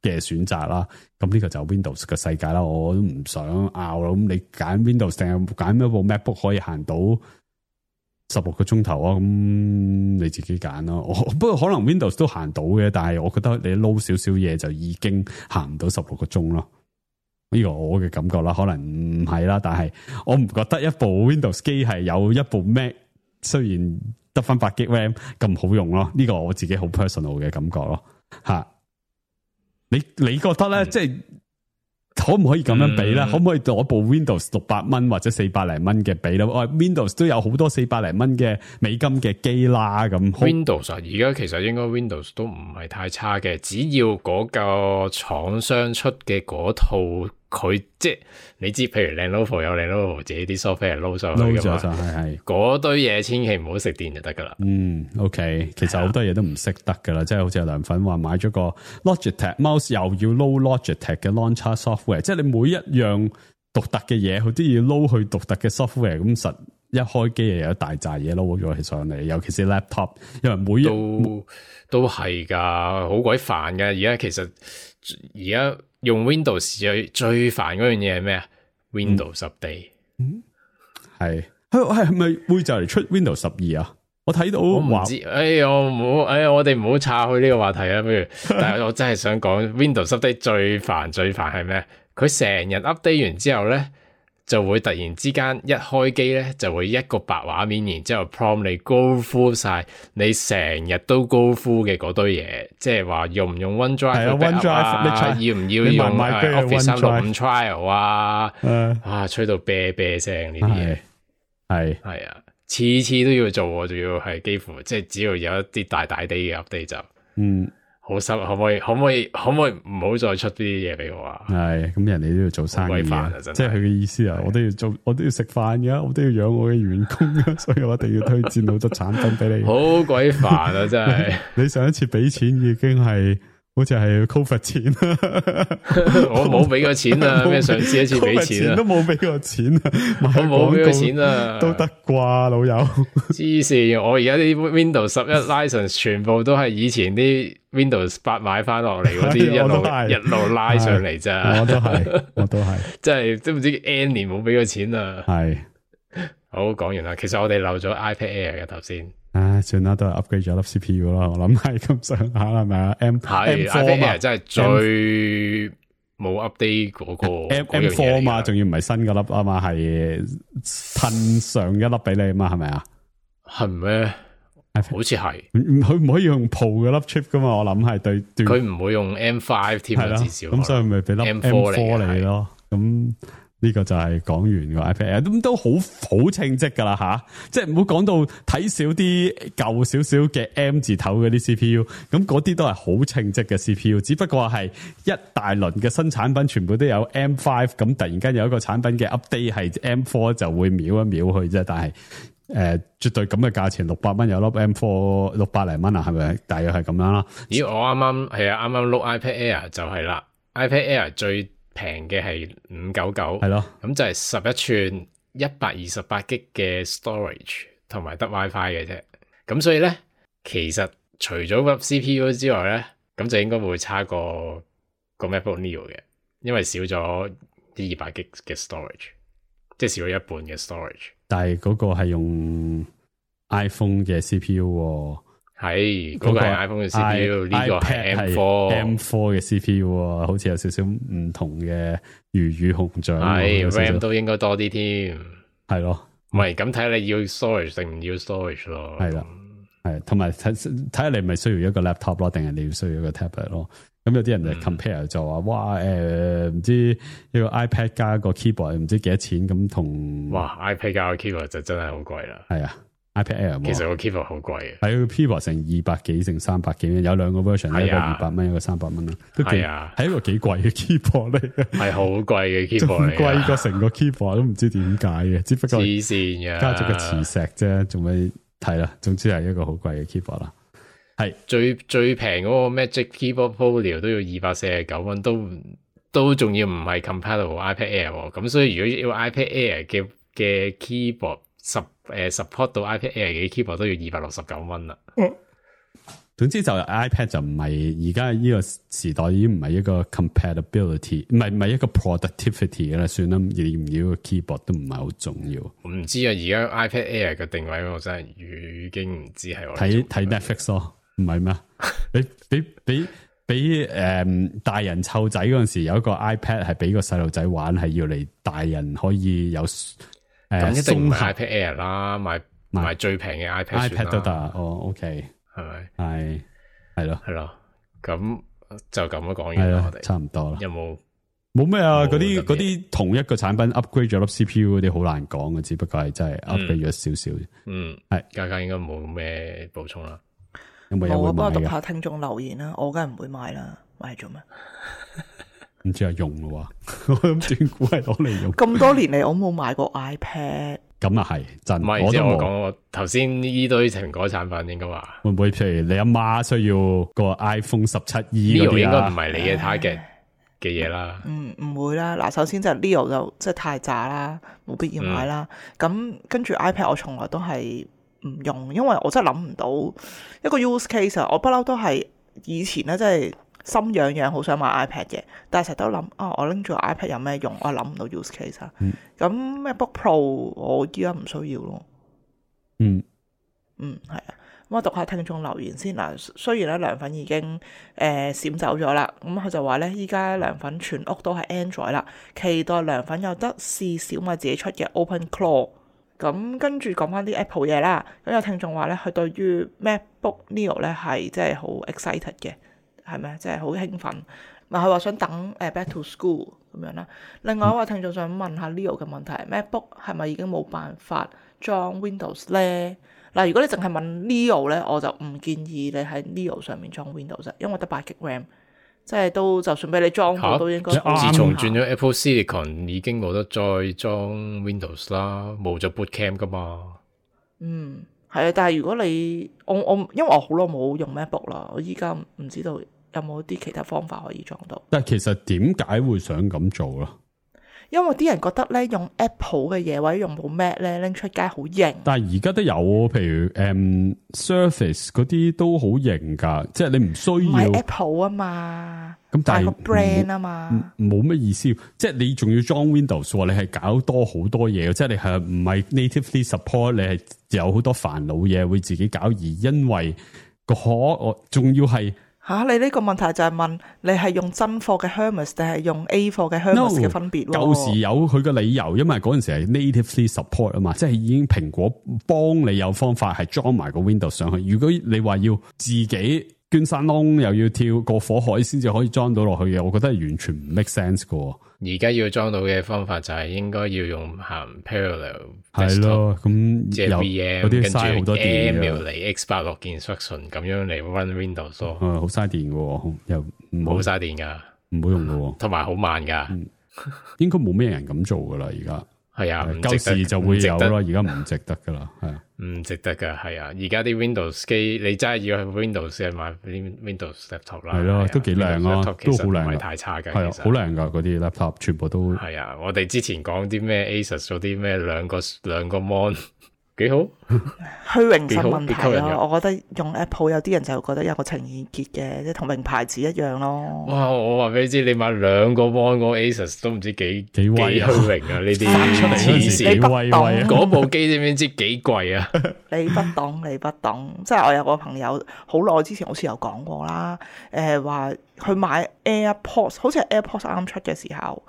嘅選擇啦，咁呢個就 Windows 嘅世界啦，我都唔想拗啦。咁你揀 Windows 定係揀一部 MacBook 可以行到16個鐘頭啊？咁你自己揀咯。不過可能 Windows 都行到嘅，但係我覺得你撈少少嘢就已經行唔到16個鐘咯。呢個我嘅感覺啦，可能唔係啦，但係我唔覺得一部 Windows 機係有一部 Mac 雖然得翻8GB RAM 咁好用咯。呢個我自己好 personal 嘅感覺咯，吓。你覺得咧，即係可唔可以咁樣比咧？可唔可以攞部 Windows 600蚊或者400零蚊嘅比咧？Windows 都有好多400零蚊嘅美金嘅機啦，咁 Windows 而家其實應該 Windows 都唔係太差嘅，只要嗰個廠商出嘅嗰套，佢即係你知，譬如 Lenovo 有 Lenovo 自己啲 software 撈上去噶嘛，係嗰堆嘢千祈唔好食電就得噶啦。OK， 其實好多嘢都唔識得噶啦，即係好似阿梁粉話買咗個 Logitech mouse 又要撈 Logitech 嘅 launcher software， 即係你每一樣獨特嘅嘢，佢都要撈去獨特嘅 software， 咁實一開機又有一大扎嘢撈咗起上嚟，尤其是 laptop， 因為每一都係噶，好鬼煩噶。而家其實而家用 Windows 最煩嗰樣嘢係咩啊？Windows 10係咪會就嚟出 Windows 12啊？我睇到我唔知，我哋唔好岔去呢個話題啊。不如，但係我真係想講 Windows 10最煩係咩？佢成日 update 完之後咧，就會突然之間一開機咧，就會一個白畫面，然之後 prompt 你 go through 晒你成日都 go through 嘅嗰堆嘢，即係話用唔用 OneDrive 要唔要用 Office 365 Trial 啊，吹到啤啤聲呢啲嘢，係啊，次次都要做，仲要係幾乎即係只要有一啲大啲嘅 update 就好心，可唔可以唔好再出呢啲嘢俾我啊？係咁，人哋都要做生意啊，即係佢嘅意思啊！我都要做，我都要食飯㗎，我都要養我嘅員工㗎，所以我一定要推薦好多產品俾你。好鬼煩啊！真係你上一次俾錢已經係好似係 COVID 錢我冇俾過錢啊！咩上次一次俾錢啊？都冇俾過錢啊！我冇俾過錢啊！都得啩，老友。黐線！我而家啲 Windows 11 license 全部都係以前啲 Windows 8買翻落嚟嗰啲一路拉上嚟咋。我都係，真係都唔知 N 年冇俾過錢啊！係好講完啦。其實我哋漏咗 iPad Air 嘅頭先。算啦，都係 upgrade 咗粒 CPU 啦。我諗係咁上下係咪啊？M4 Air 真係最冇 update 嗰個 M4 嘛，仲要唔係新嗰粒啊嘛，係褪上一粒俾你啊嘛，係咪啊？係咩？好似係，佢唔可以用 Pro 嘅粒 chip 噶嘛？我諗係對，佢唔會用 M5 添啊，至少咁所以咪俾粒 M4 你咯。咁呢個就係講完個 iPad Air，咁都好稱職噶啦吓，即係唔好講到睇少啲舊少少嘅 M 字頭嗰啲 CPU， 咁嗰啲都係好稱職嘅 CPU， 只不過係一大輪嘅新產品全部都有 M5， 咁突然間有一個產品嘅 update 係 M4 就會秒一秒去啫，但係絕對咁嘅價錢600蚊有粒 M4 600零蚊啊，係咪？大約係咁樣啦。咦，我啱啱碌 iPad Air 就係啦 ，iPad Air 最平嘅係599，係咯，咁就係11寸128GB嘅 storage 同埋得 WiFi 嘅啫。咁所以咧，其實除咗粒 CPU 之外咧，咁就應該會差過個 MacBook Neo 嘅，因為少咗200GB 嘅 storage， 即係少咗一半嘅 storage。但係嗰個係用 iPhone 嘅 CPU， 係嗰個係 iPhone 嘅 CPU， 呢個係 M4 嘅 CPU， 好似有少少唔同嘅魚與熊掌。係 RAM 都應該多啲添，係咯。唔係咁睇下你要 storage 定唔要 storage 咯。係啦，係同埋睇下你咪需要一個 laptop 咯，定係你要需要一個 tablet 咯。咁有啲人就 compare 就話，哇唔知一個 iPad 加個 keyboard 唔知幾多錢咁同。哇 iPad 加個 keyboard 就真係好貴啦。係啊 iPad Air 其實個 keyboard 好貴嘅，係個 keyboard 成200幾成300幾，有兩個 version，一個200蚊，一個300蚊啦。都係啊，係一個幾貴嘅 keyboard 嚟嘅，係好貴嘅 keyboard 嚟，貴過成個 keyboard 都唔知點解嘅，只不過黐線嘅，加咗個磁石啫，仲未睇啦。總之係一個好貴嘅 keyboard 啦。係最平嗰個 Magic Keyboard Folio 都要249蚊，都仲要唔係 compatible iPad Air 咁，所以如果要 iPad Air 嘅 keyboard support 到 iPad Air 嘅 keyboard 都要269蚊啦。總之就 iPad 就唔係而家呢個時代已經唔係一個 compatibility， 唔係一個 productivity 嘅啦，算啦，要唔要個 keyboard 都唔係好重要。唔知啊，而家 iPad Air 嘅定位我真係已經唔知係我睇 Netflix 咯。唔係咩？俾大人湊仔嗰陣時有一個 iPad 係俾個細路仔玩，係要嚟大人可以有咁一定唔係 iPad Air 啦，買最平嘅 iPad 都得。哦 ，OK， 係咪？係咯，咁就咁樣講完啦，我哋差唔多啦。有冇咩啊？嗰啲同一個產品 upgrade 咗粒 CPU 嗰啲好難講嘅，只不過係真係 upgrade 咗少少。係家家應該冇咩補充啦。冇啊，幫我讀下聽眾留言啦，我梗係唔會買啦，買嚟做咩？唔知係用咯，我諗斷估係攞嚟用。咁多年嚟，我冇買過 iPad。咁啊係真，唔係即係我講我頭先呢堆蘋果產品應該話會唔會？譬如你阿媽需要個 iPhone 17E 嗰啲啊，應該唔係你嘅 target 嘅嘢啦。唔會啦。嗱，首先就 Leo 就即係太渣啦，冇必要買啦。咁跟住 iPad 我從來都係唔用，因為我真係諗唔到一個 use case 啊！我不嬲都係以前咧，真係心癢癢好想買 iPad 嘅，但係成日都諗我拎住 iPad 有咩用？我諗唔到 use case 啊。咁 MacBook Pro 我依家唔需要咯。係啊。咁我讀下聽眾留言先嗱。雖然咧涼粉已經閃走咗啦，咁佢就話咧依家涼粉全屋都係 Android 啦，期待涼粉有得試小米自己出嘅 OpenClaw。咁跟住講翻啲 Apple 嘢啦，咁有聽眾話咧，佢對於 MacBook Neo 咧係即係好 excited 嘅，係咪？即係好興奮。咪佢話想等Back to School 咁樣啦。另外一位聽眾想問下 Neo 嘅問題，MacBook 係咪已經冇辦法裝 Windows 咧？嗱，如果你淨係問 Neo 咧，我就唔建議你喺 Neo 上面裝 Windows，因為得8GB RAM。即係都就算俾你裝到都應該。自從轉咗 Apple Silicon 已經冇得再裝 Windows 啦，冇咗 Boot Camp 噶嘛。係啊，但係如果你我因為我好耐冇用 MacBook 啦，我依家唔知道有冇啲其他方法可以裝到。但係其實點解會想咁做咧？因為啲人覺得咧用 Apple 嘅嘢或者用部 Mac 咧拎出街好型，但係而家都有，譬如Surface 嗰啲都好型噶，即係你唔需要。唔係 Apple 啊嘛，咁但係個 brand 啊嘛，冇乜意思。即係你仲要裝 Windows，你係搞多好多嘢，即係你係唔係 natively support， 你係有好多煩惱嘢會自己搞，而因為我仲要係。你呢個問題就係問你係用真貨嘅 Hermes 定係用 A 貨嘅 Hermes 嘅分別？舊時有佢嘅理由，因為嗰陣時係 natively support 啊嘛，即係已經蘋果幫你有方法係裝埋個 Windows 上去。如果你話要自己捐山窿，又要跳過火海先至可以裝到落去嘅，我覺得係完全唔 make sense 㗎。而家要裝到嘅方法就係應該要用行 parallel， 係咯，咁即係 VM 跟住 emulate X86 嘅 instruction 咁樣嚟 run Windows 咯。好嘥電嘅，又唔好嘥電噶，唔好用嘅，同埋好慢噶。應該冇咩人咁做噶啦，而家係啊，舊時就會有咯，而家唔值得噶啦，係啊，唔值得噶，係啊，而家啲 Windows 機你真係要去 Windows 買啲 Windows laptop 啦，係咯，都幾靚啊，都好靚，唔係太差嘅，係啊，好靚噶嗰啲 laptop，全部都係啊，我哋之前講啲咩 Asus 嗰啲咩兩個 mon。幾好，虛榮心問題咯。我覺得用 Apple 有啲人就覺得有個情意結嘅，即係同名牌子一樣咯。哇！我話俾你知，你買兩個 mon 個 Asus 都唔知幾威虛榮啊！呢啲黐線，你不懂嗰部機知唔知幾貴啊？你不懂，你不懂。即係我有個朋友好耐之前好似有講過啦，話佢買 AirPods， 好似係 AirPods 啱出嘅時候。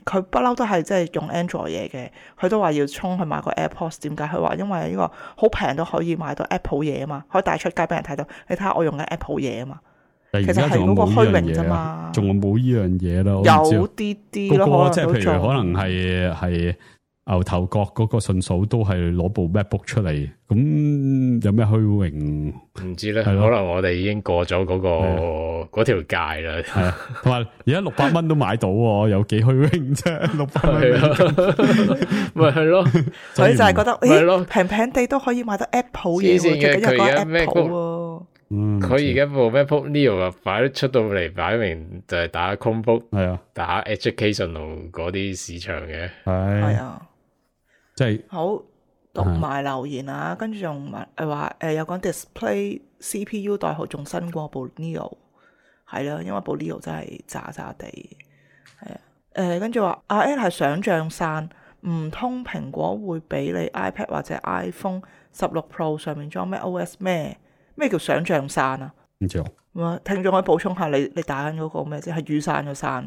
佢不嬲都係即係用 Android 嘢嘅，佢都話要衝去買個 AirPods。點解？佢話因為呢個好平都可以買到 Apple 嘢啊嘛，可以帶出街俾人睇到。你睇下我用緊 Apple 嘢啊嘛，其實係嗰個虛榮啫嘛。仲冇呢樣嘢咯，有啲啲咯，即係譬如可能係牛頭角嗰個順數都係攞部 MacBook 出嚟，咁有咩虛榮？唔知咧，可能我哋已經過咗嗰條界啦。係啊，同埋而家600蚊都買到，有幾虛榮啫？600蚊咪係咯，所以就係覺得，係咯，平平地都可以買到 Apple 嘢，最緊要個 Apple。佢而家部 MacBook Neo 啊，擺出到嚟，擺明就係打 Chromebook， 係啊，打 Educational 嗰啲市場嘅，係啊。即係好讀埋留言啊，跟住仲話有講 Display CPU 代號仲新過部 Neo， 係啦，因為部 Neo 真係渣渣地，係啊，跟住話阿 Ed 係想像散，唔通蘋果會俾你 iPad 或者 iPhone 16 Pro 上面裝咩 OS 咩叫想像散啊？唔知聽眾可以補充下你打緊嗰個咩啫？係雨傘嘅傘，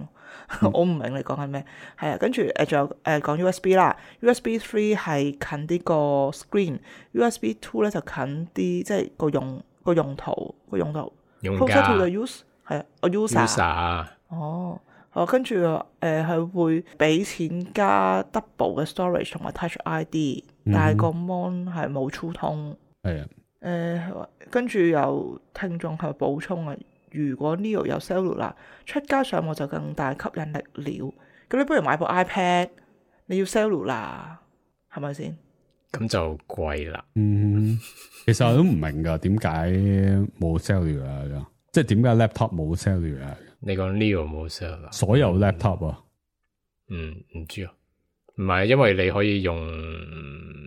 我唔明你講緊咩。係啊，跟住仲有講 USB 啦 ，USB 3係近啲個 screen，USB 2咧就近啲，即係個用途。Closer to the use 係啊，我 user。哦，跟住係會俾錢加 double 嘅 storage 同埋 Touch ID，但係個 mon 係冇粗通。係啊。跟住有聽眾係補充啊，如果 Neo 有 cellular 出街上網就更大吸引力了。咁你不如買部 iPad， 你要 cellular 係咪先？咁就貴啦。其實我都唔明噶，點解冇 cellular 噶？即係點解 laptop 冇 cellular？你講 Neo 冇 cellular？所有 laptop 啊？唔知啊，唔係因為你可以用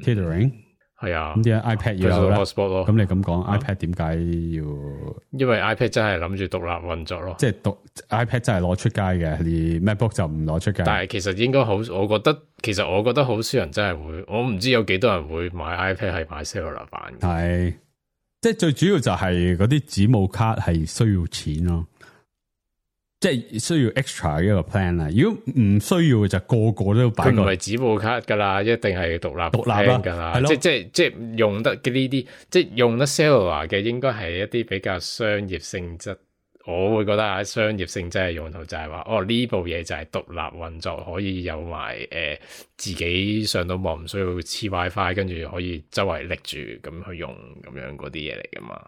tethering。係啊，咁點解 iPad 要有咧？咁你咁講 iPad 點解要？因為 iPad 真係諗住獨立運作咯，即係iPad 真係攞出街嘅，而 MacBook 就唔攞出街。但係其實應該好，我覺得好少人真係會，我唔知有幾多人會買 iPad 係買 cellular 版嘅。係，即係最主要就係嗰啲子母卡係需要錢咯。即係需要 extra 一個 plan 啦，如果唔需要嘅就個個都擺。佢唔係紙簿卡噶啦，一定係獨立噶啦。即係用得嘅呢啲，即係用得 cellular 嘅，應該係一啲比較商業性質。我會覺得商業性質嘅用途就係話，呢部嘢就係獨立運作，可以有埋自己上到網唔需要黐 WiFi， 跟住可以周圍拎住咁去用咁樣嗰啲嘢嚟噶嘛。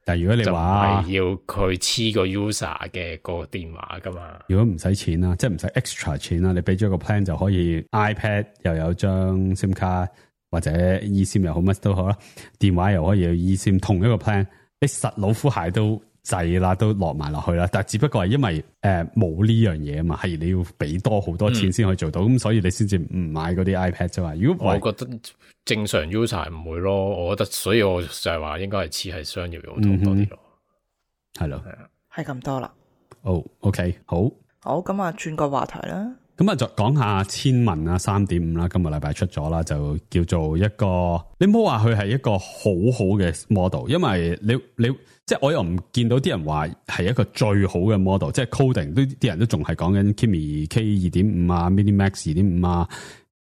但係如果你話要佢黐個 user 嘅個電話噶嘛，如果唔使錢啦，即係唔使 extra 錢啦，你俾咗個 plan 就可以 iPad 又有張 SIM 卡或者 eSIM 又好乜都好啦，電話又可以有 eSIM， 同一個 plan， 你實老虎蟹都滯啦，都落埋落去啦。但係只不過係因為冇呢樣嘢啊嘛，係你要俾多好多錢先可以做到，咁所以你先至唔買嗰啲 iPad 啫嘛。如果我覺得正常 user 唔會咯，我覺得，所以我就係話應該係似係商業用途多啲咯，係咯，係咁多啦。OK， 好，咁啊，轉個話題啦。咁啊，就講下千文啊 3.5 啦，今個禮拜出咗啦，就叫做一個，你唔好話佢係一個好好嘅 model， 因為你即係我又唔見到啲人話係一個最好嘅 model， 即係 coding 都啲人都仲係講緊 Kimi K 2.5啊 ，Mini Max 2.5啊，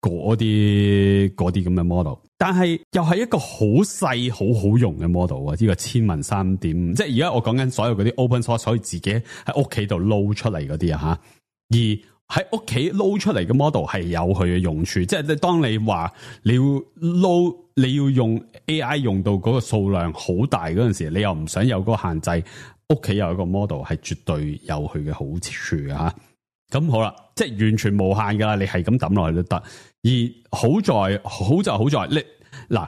嗰啲咁嘅 model， 但係又係一個好細好好用嘅 model 啊！呢個千文 3.5， 即係而家我講緊所有嗰啲 open source 可以自己喺屋企度撈出嚟嗰啲啊吓，而喺屋企撈出嚟嘅 model 係有佢嘅用處，即係當你話你要用 AI 用到嗰個數量好大嗰陣時，你又唔想有嗰個限制，屋企有一個 model 係絕對有佢嘅好處嘅吓。咁好啦，即係完全無限噶啦，你係咁抌落去都得。而好在你嗱，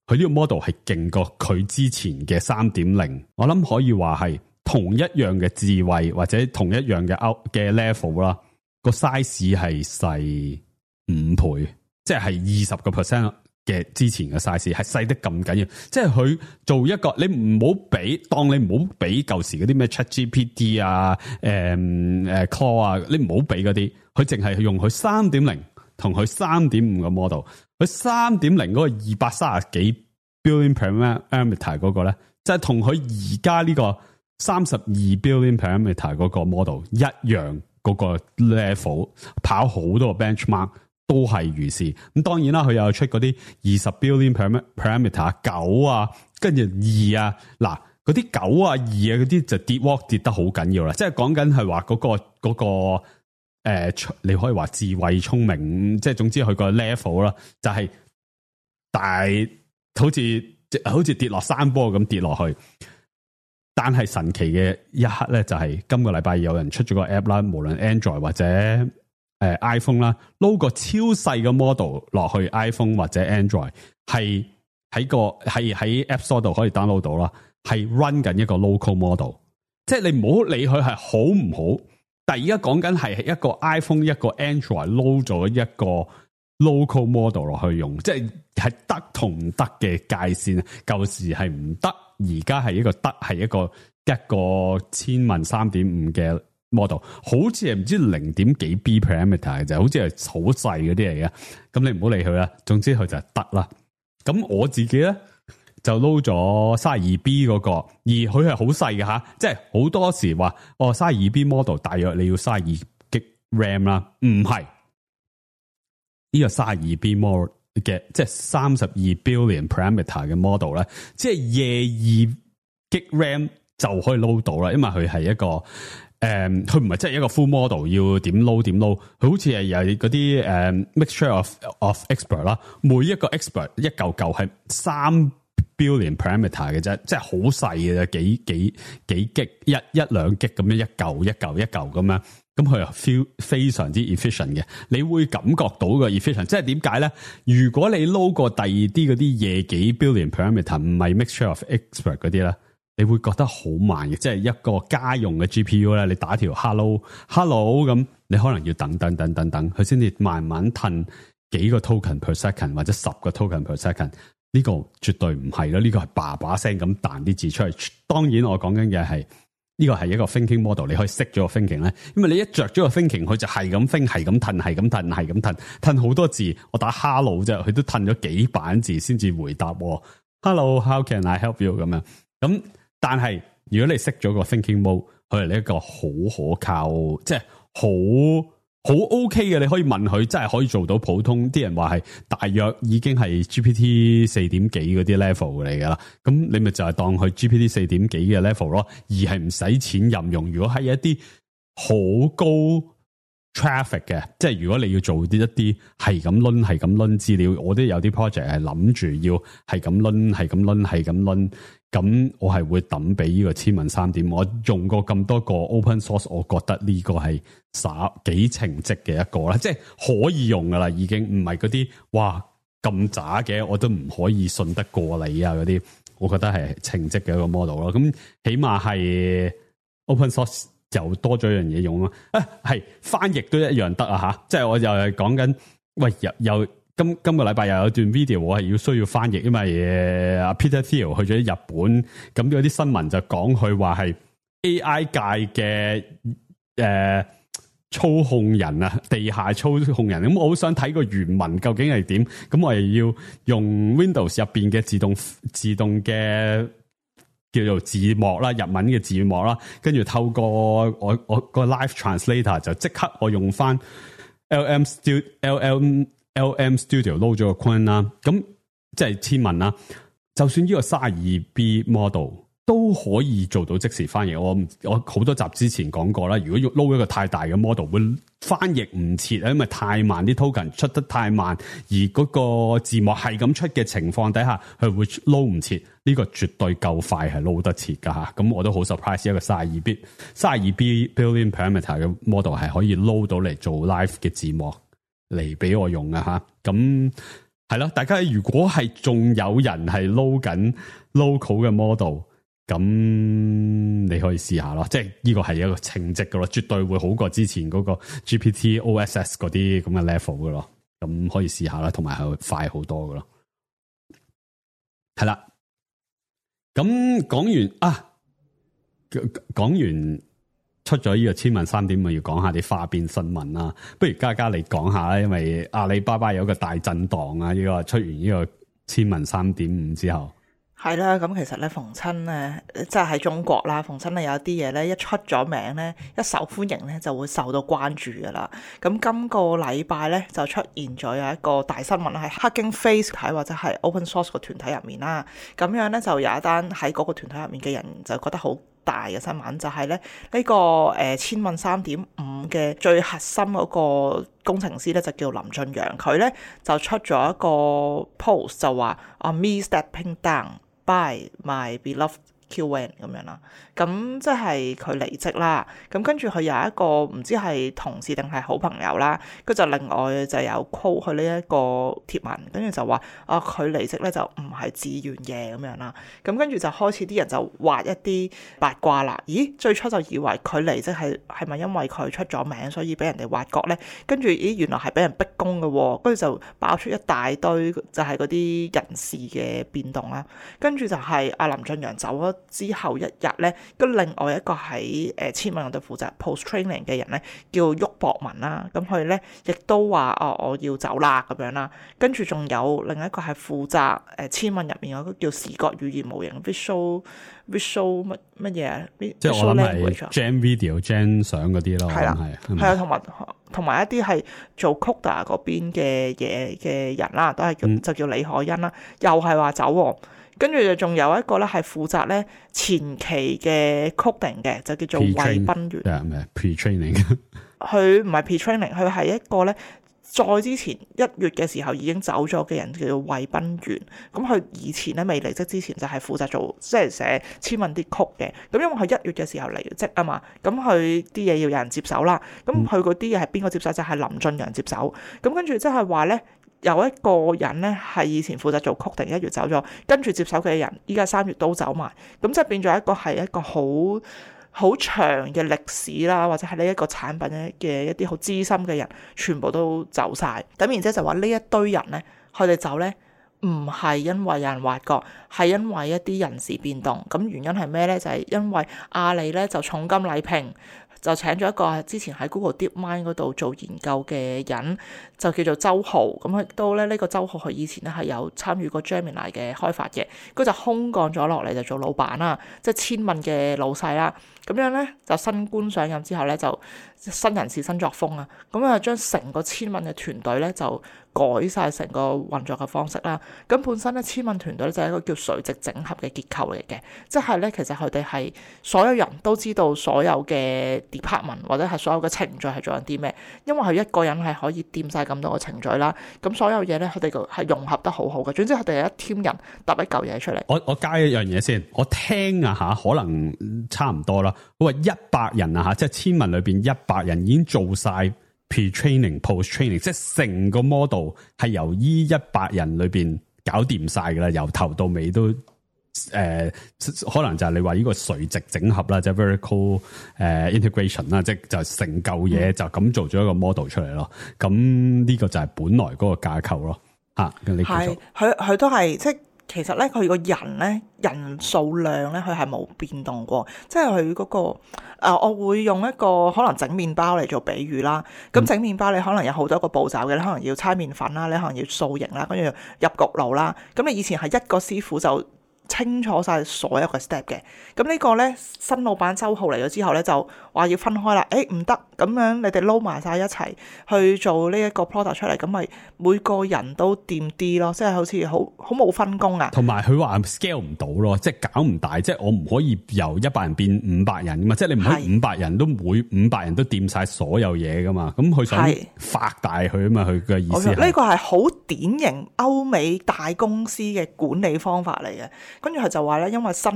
佢呢個 model 係勁過佢之前嘅 3.0， 我諗可以話係同一樣嘅智慧或者同一樣嘅 level 啦，個 size 係細5倍，即係20% 嘅之前嘅 size 係細得咁緊要，即係佢做一個你唔好比，當你唔好比舊時嗰啲咩 ChatGPT 啊、Claude 啊，你唔好比嗰啲，佢淨係用佢 3.0 同佢 3.5 嘅 model， 佢 3.0 嗰個230幾 billion parameter 嗰個咧，即係同佢而家呢個32 billion parameter 嗰個 model 一樣嗰個 level， 跑好多個 benchmark。都係如是，咁當然啦，佢又出嗰啲20 billion parameter 9啊，跟住2啊，嗱嗰啲9啊2啊嗰啲就跌得好緊要啦，即係講緊係話嗰個你可以話智慧聰明，即係總之佢個 level 啦，就係大好似跌落山坡咁跌落去。但係神奇嘅一刻咧，就係今個禮拜有人出咗個 app 啦，無論 Android 或者iPhone 啦，load 個超細嘅 model 落去 iPhone 或者 Android， 係喺 App Store 度可以 download 到啦，係 run 緊一個 local model， 即係你唔好理佢係好唔好，但係而家講緊係一個 iPhone 一個 Android load 咗一個 local model 落去用，即係得同唔得嘅界線，舊時係唔得，而家係一個得，係一個千萬 3.5 嘅。model 好似係唔知0.幾 B parameter 嘅啫，好似係好細嗰啲嚟嘅。咁你唔好理佢啦，總之佢就係得啦。咁我自己咧就撈咗 32B 嗰個，而佢係好細嘅吓，即係好多時話32B model 大約你要32 G RAM 啦，唔係呢個32B model 嘅，即係32 billion parameter 嘅 model 咧，即係22 G RAM 就可以撈到啦，因為佢係一個。佢唔係真係一個 full model， 要點 load 點 load， 佢好似係有嗰啲mixture of expert 啦，每一個 expert 一嚿嚿係3 billion parameter 嘅啫，即係好細嘅啫，幾 G 一兩 G 咁樣一嚿咁樣，咁佢又 feel 非常之 efficient 嘅，你會感覺到個 efficient， 即係點解咧？如果你撈過第二啲嗰啲夜幾 billion parameter， 唔係 mixture of expert 嗰啲咧。你會覺得好慢嘅，即係一個家用嘅 GPU 咧，你打條 hello 咁，你可能要等，佢先至慢慢褪幾個 token per second 或者10個 token per second。呢個絕對唔係咯，呢個係叭聲咁彈啲字出嚟。當然我講緊嘅係呢個係一個 thinking model， 你可以熄咗個 thinking 咧，因為你一着咗個 thinking， 佢就係咁 think， 係咁褪好多字。我打 hello 啫，佢都褪咗幾版字先至回答我 hello，how can I help you 咁樣咁。但係如果你熄咗個 thinking mode， 佢係一個好可靠，即係好 OK 嘅，你可以問佢，真係可以做到普通。啲人話係大約已經係 GPT 4點幾嗰啲 level 嚟噶啦，咁你咪就係當佢 GPT 4點幾嘅 level 咯，而係唔使錢任用。如果係一啲好高 traffic 嘅，即係如果你要做一啲係咁掄資料，我都有啲 project 係諗住要係咁掄，咁我係會抌俾呢個千問3點。我用過咁多個 open source， 我覺得呢個係幾稱職嘅一個啦，即係可以用噶啦，已經唔係嗰啲哇咁渣嘅，我都唔可以信得過你啊嗰啲，我覺得係稱職嘅一個 model 咯。咁起碼係 open source 就多咗一樣嘢用咯。係翻譯都一樣得啊吓，即係我又係講緊，喂又今個禮拜又有段 video 我係需要翻譯，因為阿 Peter Thiel 去咗日本，咁有啲新聞就講佢話係 AI 界嘅操控人啊，地下操控人。咁我好想睇個原文究竟係點，咁我係要用 Windows 入邊嘅自動嘅叫做字幕啦，日文嘅字幕啦，跟住透過我個 Live Translator 就即刻我用翻 LM Studio 撈咗個 coin 啦，咁即係千問啦。就算呢個 32B model 都可以做到即時翻譯。我好多集之前講過啦，如果要撈一個太大嘅 model，會翻譯唔切啊，因為太慢，啲 token 出得太慢，而嗰個字幕係咁出嘅情況底下，佢會撈唔切。呢個絕對夠快係撈得切㗎嚇。咁我都好 surprise， 一個32 billion parameter 嘅 model 係可以撈到嚟做 live 嘅字幕嚟俾我用啊嚇。咁係啦，大家如果係仲有人係撈緊 local 嘅 model，咁你可以試下咯，即係呢個係一個稱職嘅咯，絕對會好過之前嗰個 GPT OSS 嗰啲咁嘅 level 嘅咯，咁可以試下啦，同埋係快好多嘅咯。係啦，咁講完出咗呢個千問三點，我要講下啲花邊新聞啦。不如嘉嘉你講下啦，因為阿里巴巴有一個大震盪啊，呢個出完呢個千問3.5之後。係啦，咁其實咧，逢親咧，即係喺中國啦，逢親咧有一啲嘢咧，一出咗名咧，一受歡迎咧，就會受到關注噶啦。咁今個禮拜咧就出現咗有一個大新聞，係 Hugging Face 喺或者係 Open Source 個團體入面啦。咁樣咧就有一單喺嗰個團體入面嘅人就覺得好大嘅新聞，就係咧呢個千問3.5嘅最核心嗰個工程師咧就叫林俊陽，佢咧就出咗一個 post 就話me stepping down。By my beloved QN 咁樣啦，咁即係佢離職啦。咁跟住佢有一個唔知係同事定係好朋友啦，佢就另外就有 call 佢呢一個貼文，跟住就話佢離職咧就唔係自願嘅咁樣啦。咁跟住就開始啲人就挖一啲八卦啦。咦，最初就以為佢離職係咪因為佢出咗名，所以俾人哋挖角咧？跟住原來係俾人逼宮嘅喎，跟住就爆出一大堆就係嗰啲人事嘅變動啦。跟住就係阿林俊陽走咗之後一日咧，跟另外一個喺千問度負責 post training 嘅人咧，叫郁博文啦。咁佢咧亦都話我要走啦咁樣啦。跟住仲有另一個係負責千問入面有個叫視覺語言模型 visual 乜嘢啊？即係我諗係 gen video gen 相嗰啲咯。係啦，係啊，同埋一啲係做 Coda 嗰邊嘅嘢嘅人啦，都係就叫李海欣啦，又係話走喎。跟住就仲有一個咧係負責咧前期嘅 coding 嘅，就叫做魏彬元。pre-training， 佢唔係 pre-training， 佢係一個咧再之前1月嘅時候已經走咗嘅人，叫做魏彬元。咁佢以前咧未離職之前就係負責做即係寫千問啲曲嘅。咁因為佢1月嘅時候離職啊嘛，咁佢啲嘢要有人接手啦。咁佢嗰啲嘢係邊個接手？就係林俊陽接手。咁跟住即係話咧。有一個人咧係以前負責做 coding， 1月走咗，跟住接手嘅人依家3月都走埋，咁即係變咗一個好長嘅歷史啦，或者係呢一個產品嘅一啲好資深嘅人，全部都走晒。咁然之後就話呢一堆人咧，佢哋走咧唔係因為有人挖角，係因為一啲人事變動。咁原因係咩咧？就係因為阿里咧就重金禮聘。就請咗一個之前喺 Google DeepMind 嗰度做研究嘅人，就叫做周浩。咁佢都咧呢個周浩佢以前咧係有參與過 Gemini 嘅開發嘅，佢就空降咗落嚟就做老闆啦，即係千問嘅老細啦。咁樣咧就新官上任之後咧就新人事新作風啊，咁啊將成個千問嘅團隊咧就改晒成個運作嘅方式啦。咁本身咧千問團隊就係一個叫垂直整合嘅結構嚟嘅，即係咧其實佢哋係所有人都知道所有嘅 department 或者係所有嘅程序係做緊啲咩，因為佢一個人係可以掂晒咁多個程序啦。咁所有嘢咧佢哋係融合得好好嘅。總之佢哋係一 team 人搭一嚿嘢出嚟。我加一樣嘢先，我聽啊吓，可能差唔多啦。我話100人啊吓，即係千問裏邊100人已經做晒 pre-training、post-training， 即係成個 model 係由依100人裏邊搞掂晒噶啦，由頭到尾都可能就係你話呢個垂直整合啦，即係 vertical integration 啦，即係就成嚿嘢就咁做咗一個 model 出嚟咯。咁呢個就係本來嗰個架構咯。吓，係佢都係即係。其實咧，佢個人咧人數量咧，佢係冇變動過。即係佢嗰個我會用一個可能整麵包嚟做比喻啦。咁整麵包你可能有好多個步驟嘅，你可能要搓麵粉啦，你可能要塑形啦，跟住入焗爐啦。咁你以前係一個師傅就清楚晒所有嘅 step 嘅。咁呢個咧新老闆周浩嚟咗之後咧，就話要分開啦。唔得，咁樣你哋撈埋晒一齊去做呢一個 product 出嚟，咁咪每個人都掂啲咯，即係好似好冇分工啊。同埋佢話 scale 唔到咯，即係搞唔大，即係我唔可以由100人變500人噶嘛，即係你唔可以500人都每500人都掂晒所有嘢噶嘛。咁佢想發大佢啊嘛，佢嘅意思係呢個係好典型歐美大公司嘅管理方法嚟嘅。跟住佢就話咧，因為新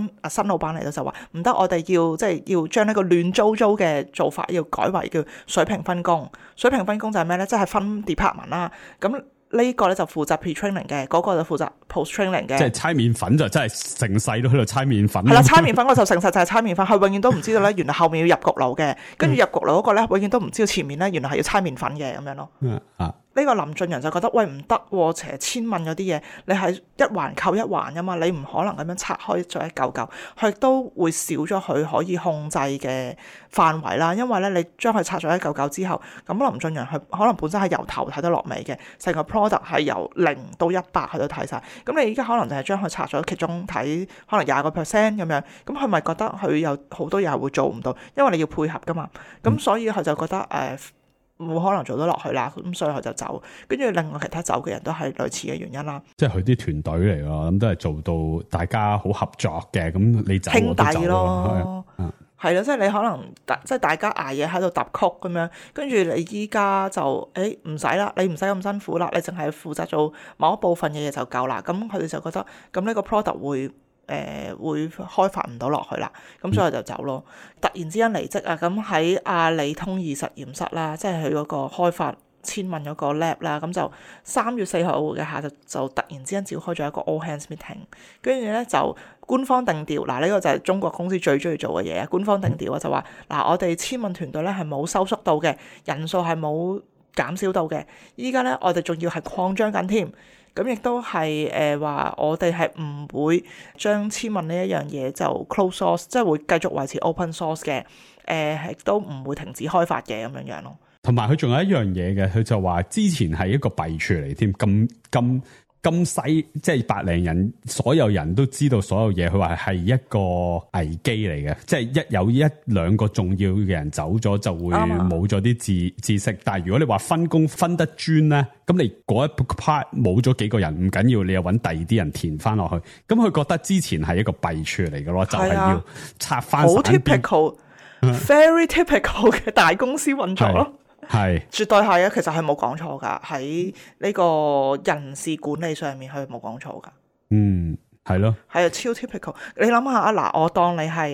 老闆嚟到就話唔得，我哋要將呢個亂糟糟嘅做法要改為叫水平分工。水平分工就係咩咧？即係分 department 啦。咁呢個咧就負責 pre-training 嘅，嗰個就負責 post-training 嘅。即係猜麵粉就真係成世都喺度猜麵粉。係啦，猜麵粉我就成世就係猜麵粉，佢永遠都唔知道咧，原來後面要入焗爐嘅，跟住入焗爐嗰個咧，永遠都唔知道前面咧原來係要猜麵粉嘅咁樣咯。呢個林俊陽就覺得喂唔得喎，成日千問嗰啲嘢，你係一環扣一環噶嘛，你唔可能咁樣拆開咗一嚿嚿，佢亦都會少咗佢可以控制嘅範圍啦。因為咧，你將佢拆咗一嚿嚿之後，咁林俊陽佢可能本身係由頭睇得落尾嘅，成個 product 係由0到100佢都睇晒。咁你而家可能就係將佢拆咗其中睇可能20%咁樣，咁佢咪覺得佢有好多嘢係會做唔到，因為你要配合噶嘛。咁所以佢就覺得冇可能做得落去啦，咁所以佢就走。跟住另外其他走嘅人都係類似嘅原因啦。即係佢啲團隊嚟咯，咁都係做到大家好合作嘅。咁你走我都走咯，係咯，即係你可能即係大家捱夜喺度揼曲咁樣，跟住你依家就唔使啦，你唔使咁辛苦啦，你淨係負責做某一部分嘅嘢就夠啦。咁佢哋就覺得咁呢個 product 會開發唔到落去啦，咁所以就走咯。突然之間離職啊！咁喺阿里通義實驗室啦，即係佢嗰個開發千問嗰個 lab 啦，咁就3月4號嘅下晝就突然之間召開咗一個 all hands meeting，跟住咧就官方定調，呢個就係中國公司最中意做嘅嘢啊！官方定調啊，就話我哋千問團隊咧係冇收縮到嘅，人數係冇減少到嘅，依家咧我哋仲要係擴張緊添。咁亦都係話我哋係唔會將千問呢一樣嘢就 close source， 即係會繼續維持 open source 嘅，亦都唔會停止開發嘅咁樣咯。同埋佢仲有一樣嘢嘅，佢就話之前係一個弊處嚟添，咁細，即係100零人，所有人都知道所有嘢。佢話係一個危機嚟嘅，即係有1兩個重要嘅人走咗，就會冇咗啲知識。但係如果你話分工分得專咧，咁你嗰一 part 冇咗幾個人唔緊要，你又揾第二啲人填翻落去。咁佢覺得之前係一個弊處嚟嘅咯，就係要拆翻散邊。好 typical，very typical 嘅大公司運作咯。係，絕對係啊！其實係冇講錯噶，喺呢個人事管理上面，佢冇講錯噶。係咯，係啊，超 typical。你諗下啊，嗱，我當你係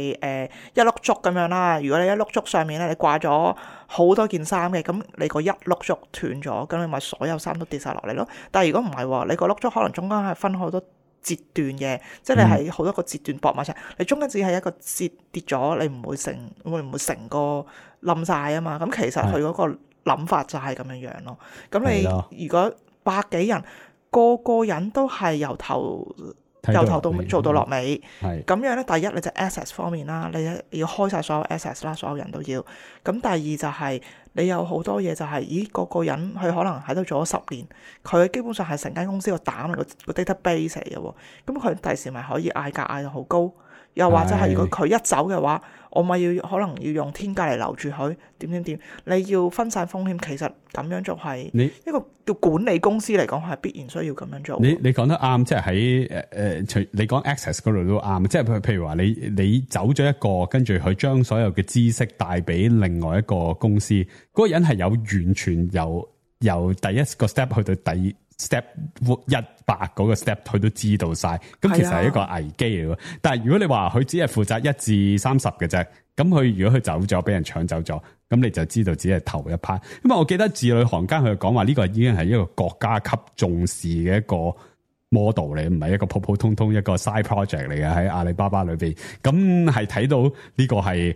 一碌竹咁樣啦。如果你一碌竹上面咧，你掛咗好多件衫嘅，咁你個一碌竹斷咗，咁你咪所有衫都跌晒落嚟咯。但係如果唔係喎，你個碌竹可能中間係分好多節段嘅，即係你係好多個節段駁埋一齊，你中間只係一個節跌咗，你唔會成個冧晒啊嘛。咁其實佢嗰個諗法就係咁樣樣咯。咁你如果100幾人，個個人都係由頭到做到落尾，咁樣咧，第一你就 access 方面啦，你要開晒所有 access 啦，所有人都要。咁第二就係你有好多嘢就係，個個人佢可能喺度做咗10年，佢基本上係成間公司個膽個 database 嚟嘅喎。咁佢第時咪可以嗌價嗌到好高，又或者係如果佢一走嘅話，我咪可能要用天價嚟留住佢，點，你要分散風險。其實咁樣做係一個叫管理公司嚟講係必然需要咁樣做。你講得啱，即係喺除你講 access 嗰度都啱，即係譬如話你走咗一個，跟住佢將所有嘅知識帶俾另外一個公司，嗰個人係有完全由第一個 step 去到第step 100嗰個 step 佢都知道晒，咁其實係一個危機嚟嘅。但係如果你話佢只係負責1至30嘅啫，咁佢如果佢走咗，俾人搶走咗，咁你就知道只係頭一 part。因為我記得字裏行間佢講話呢個已經係一個國家級重視嘅一個 model 嚟，唔係一個普普通通一個 side project 嚟嘅，喺阿里巴巴裏邊。咁係睇到呢個係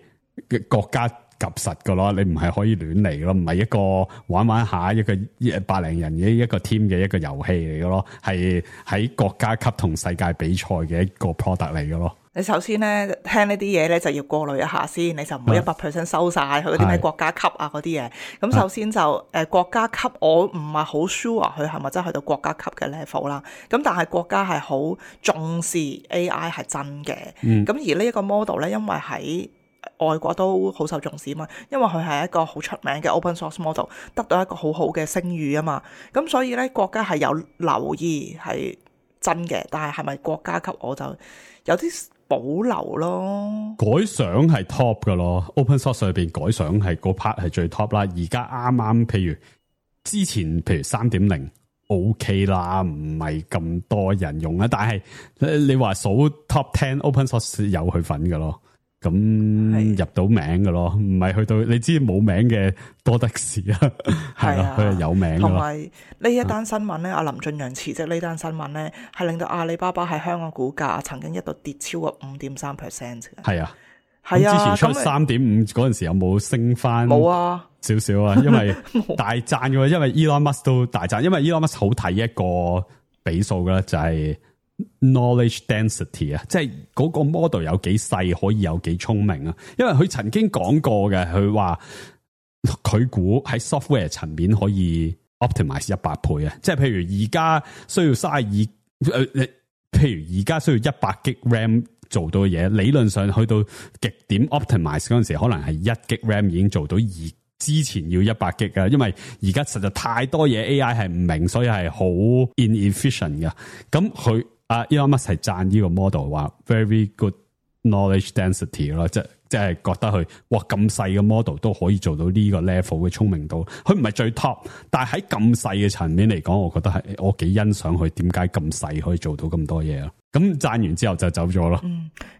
國家及實嘅咯，你唔係可以亂嚟咯，唔係一個玩下一個100零人嘅一個 team 嘅一個遊戲嚟嘅咯，係喺國家級同世界比賽嘅一個 product 嚟嘅咯。你首先咧聽呢啲嘢咧就要過濾一下先，你就唔好100% 收晒佢嗰啲咩國家級啊嗰啲嘢。咁首先就國家級，我唔係好 sure 佢係咪真係去到國家級嘅 level 啦。咁但係國家係好重視 AI 係真嘅。咁而呢一個 model 咧，因為喺外國都好受重視啊嘛，因為佢係一個好出名嘅 open source model， 得到一個好好嘅聲譽啊嘛。咁所以咧國家係有留意係真嘅，但係係咪國家級我就有啲保留咯。改相係 top 噶咯 ，open source 裏邊改相係嗰 part 係最 top 啦。而家啱啱譬如之前譬如 3.0 OK 啦，唔係咁多人用啦。但係你話數 top 10 open source 有佢份噶咯，咁入到名噶咯，唔係去到你知冇名嘅多得是啊。係啊，佢係有名噶。同埋呢一單新聞咧，阿林俊陽辭職呢單新聞咧，係令到阿里巴巴喺香港股價曾經一度跌超過 5.3% 嘅。係啊，係啊。之前出 3.5 嗰陣時有冇升翻？冇啊，少少啊，因為大賺嘅，因為 Elon Musk 都大賺，因為 Elon Musk 好睇一個比數嘅就係 knowledge density 啊，即係嗰個 model 有幾細可以有幾聰明啊。因為佢曾經講過嘅，佢話佢估喺 software 層面可以 optimize 100倍啊，即係譬如而家需要32譬如而家需要100 G RAM 做到嘅嘢，理論上去到極點 optimize 嗰陣時，可能係1 G RAM 已經做到，而之前要100 G 啊，因為而家實在太多嘢 AI 係唔明，所以係好 inefficient 嘅。咁佢Elon Musk 係讚呢個 model 話 very good knowledge density 咯，即係覺得佢哇咁細嘅 model 都可以做到呢個 level 嘅聰明度。佢唔係最 top， 但係喺咁細嘅層面嚟講，我覺得係我幾欣賞佢點解咁細可以做到咁多嘢啊。咁讚完之後就走咗咯。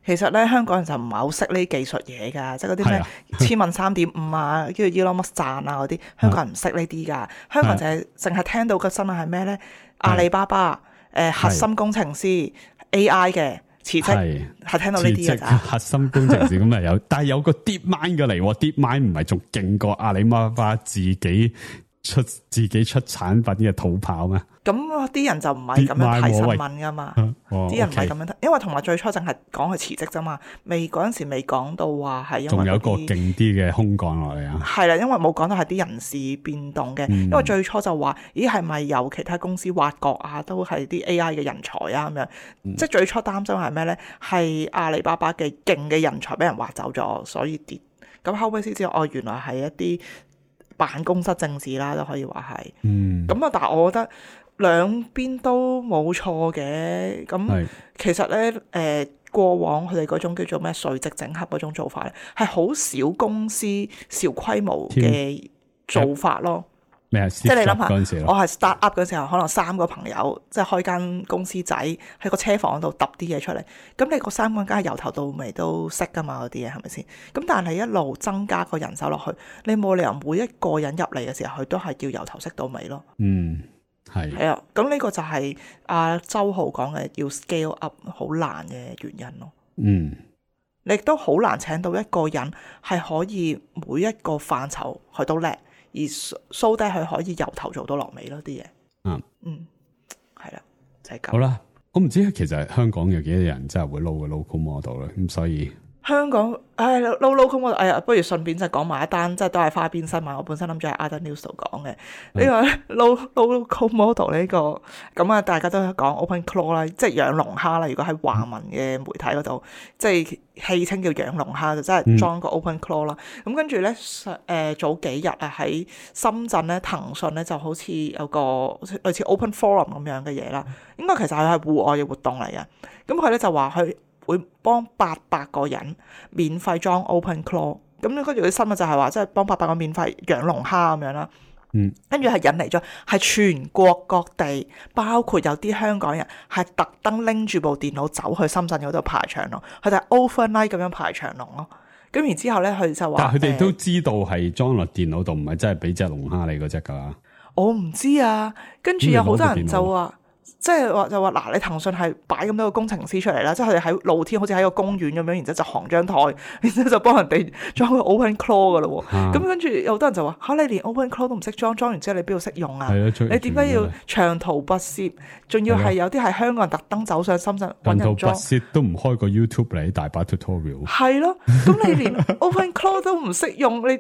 其實咧香港人就唔係好識呢技術嘢㗎，即係嗰啲咩千問3.5啊，跟住 Elon Musk 讚啊嗰啲，香港人唔識呢啲㗎。香港就係淨係聽到嘅新聞係咩咧？阿里巴巴核心工程師 AI 嘅辭職，係聽到呢啲嘅咋。核心工程師咁啊有，但係有個 DeepMind 嘅嚟，DeepMind 唔係仲勁過阿里巴巴自己出產品嘅土炮咩？咁啲人就唔係咁樣睇新聞噶嘛，啲人唔係咁樣睇，因為同埋最初淨係講佢辭職啫嘛，嗰陣時未講到話係因為仲有個勁啲嘅空降落嚟啊。係啦，因為冇講到係啲人事變動嘅，因為最初就話咦係咪有其他公司挖角啊，都係啲 AI 嘅人才啊咁樣，即係最初擔心係咩咧？係阿里巴巴嘅勁嘅人才俾人挖走咗，所以跌。咁後尾先知道原來係一啲辦公室政治啦，都可以話係。咁啊，但係我覺得兩邊都冇錯嘅。咁其實咧，過往佢哋嗰種叫做咩垂直整合嗰種做法咧，係好少公司小規模嘅做法咯。即係你諗下，我係 start up 嗰時候，可能3個朋友即係開間公司仔喺個車房度揼啲嘢出嚟。咁你個3個人梗係由頭到尾都識噶嘛，嗰啲嘢係咪先？咁但係一路增加個人手落去，你冇理由每一個人入嚟嘅時候，佢都係要由頭識到尾咯。係啊，咁呢個就係阿周浩講嘅要 scale up 好難嘅原因咯。你亦都好難請到一個人係可以每一個範疇佢都叻，而 show 低佢可以由頭做到落尾咯啲嘢。係啦，就係咁。好啦，我唔知其實香港有幾多人真係會撈個 local model 咧，咁所以香港撈 local model，不如順便就講埋一單，即係都係花邊新聞。我本身諗住喺 Other News 度講嘅呢個撈 local model 呢個，咁啊大家都講 OpenClaw 啦，即係養龍蝦啦。如果喺華文嘅媒體嗰度，即係戲稱叫養龍蝦，就真係裝個 OpenClaw 啦。咁跟住咧，早幾日啊喺深圳咧，騰訊咧就好似有個類似 Open Forum 咁樣嘅嘢啦。應該其實係戶外嘅活動嚟嘅。咁佢咧就話佢會幫800個人免費裝 OpenClaw， 咁跟住啲新聞就係話，即係幫800個免費養龍蝦咁樣啦。跟住係引嚟咗係全國各地，包括有啲香港人係特登拎住部電腦走去深圳嗰度排長龍，佢哋係 overnight 咁樣排長龍咯。咁然之後咧，佢就話，但係佢哋都知道係裝落電腦度，唔係真係俾隻龍蝦你嗰隻㗎。我唔知啊。跟住有好多人就話，即係話就話嗱，你騰訊係擺咁多個工程師出嚟啦，即係佢哋喺露天好似喺個公園咁樣，然之後就行張台，然之後就幫人哋裝個 OpenClaw 噶咯喎。咁跟住有好多人就話嚇，你連 OpenClaw 都唔識裝完之後你邊度識用啊？你點解要長途跋涉？仲要係有啲係香港人特登走上深圳揾人裝。長途跋涉都唔開個 YouTube 嚟，大把 tutorial。係咯，咁你連 OpenClaw 都唔識用，你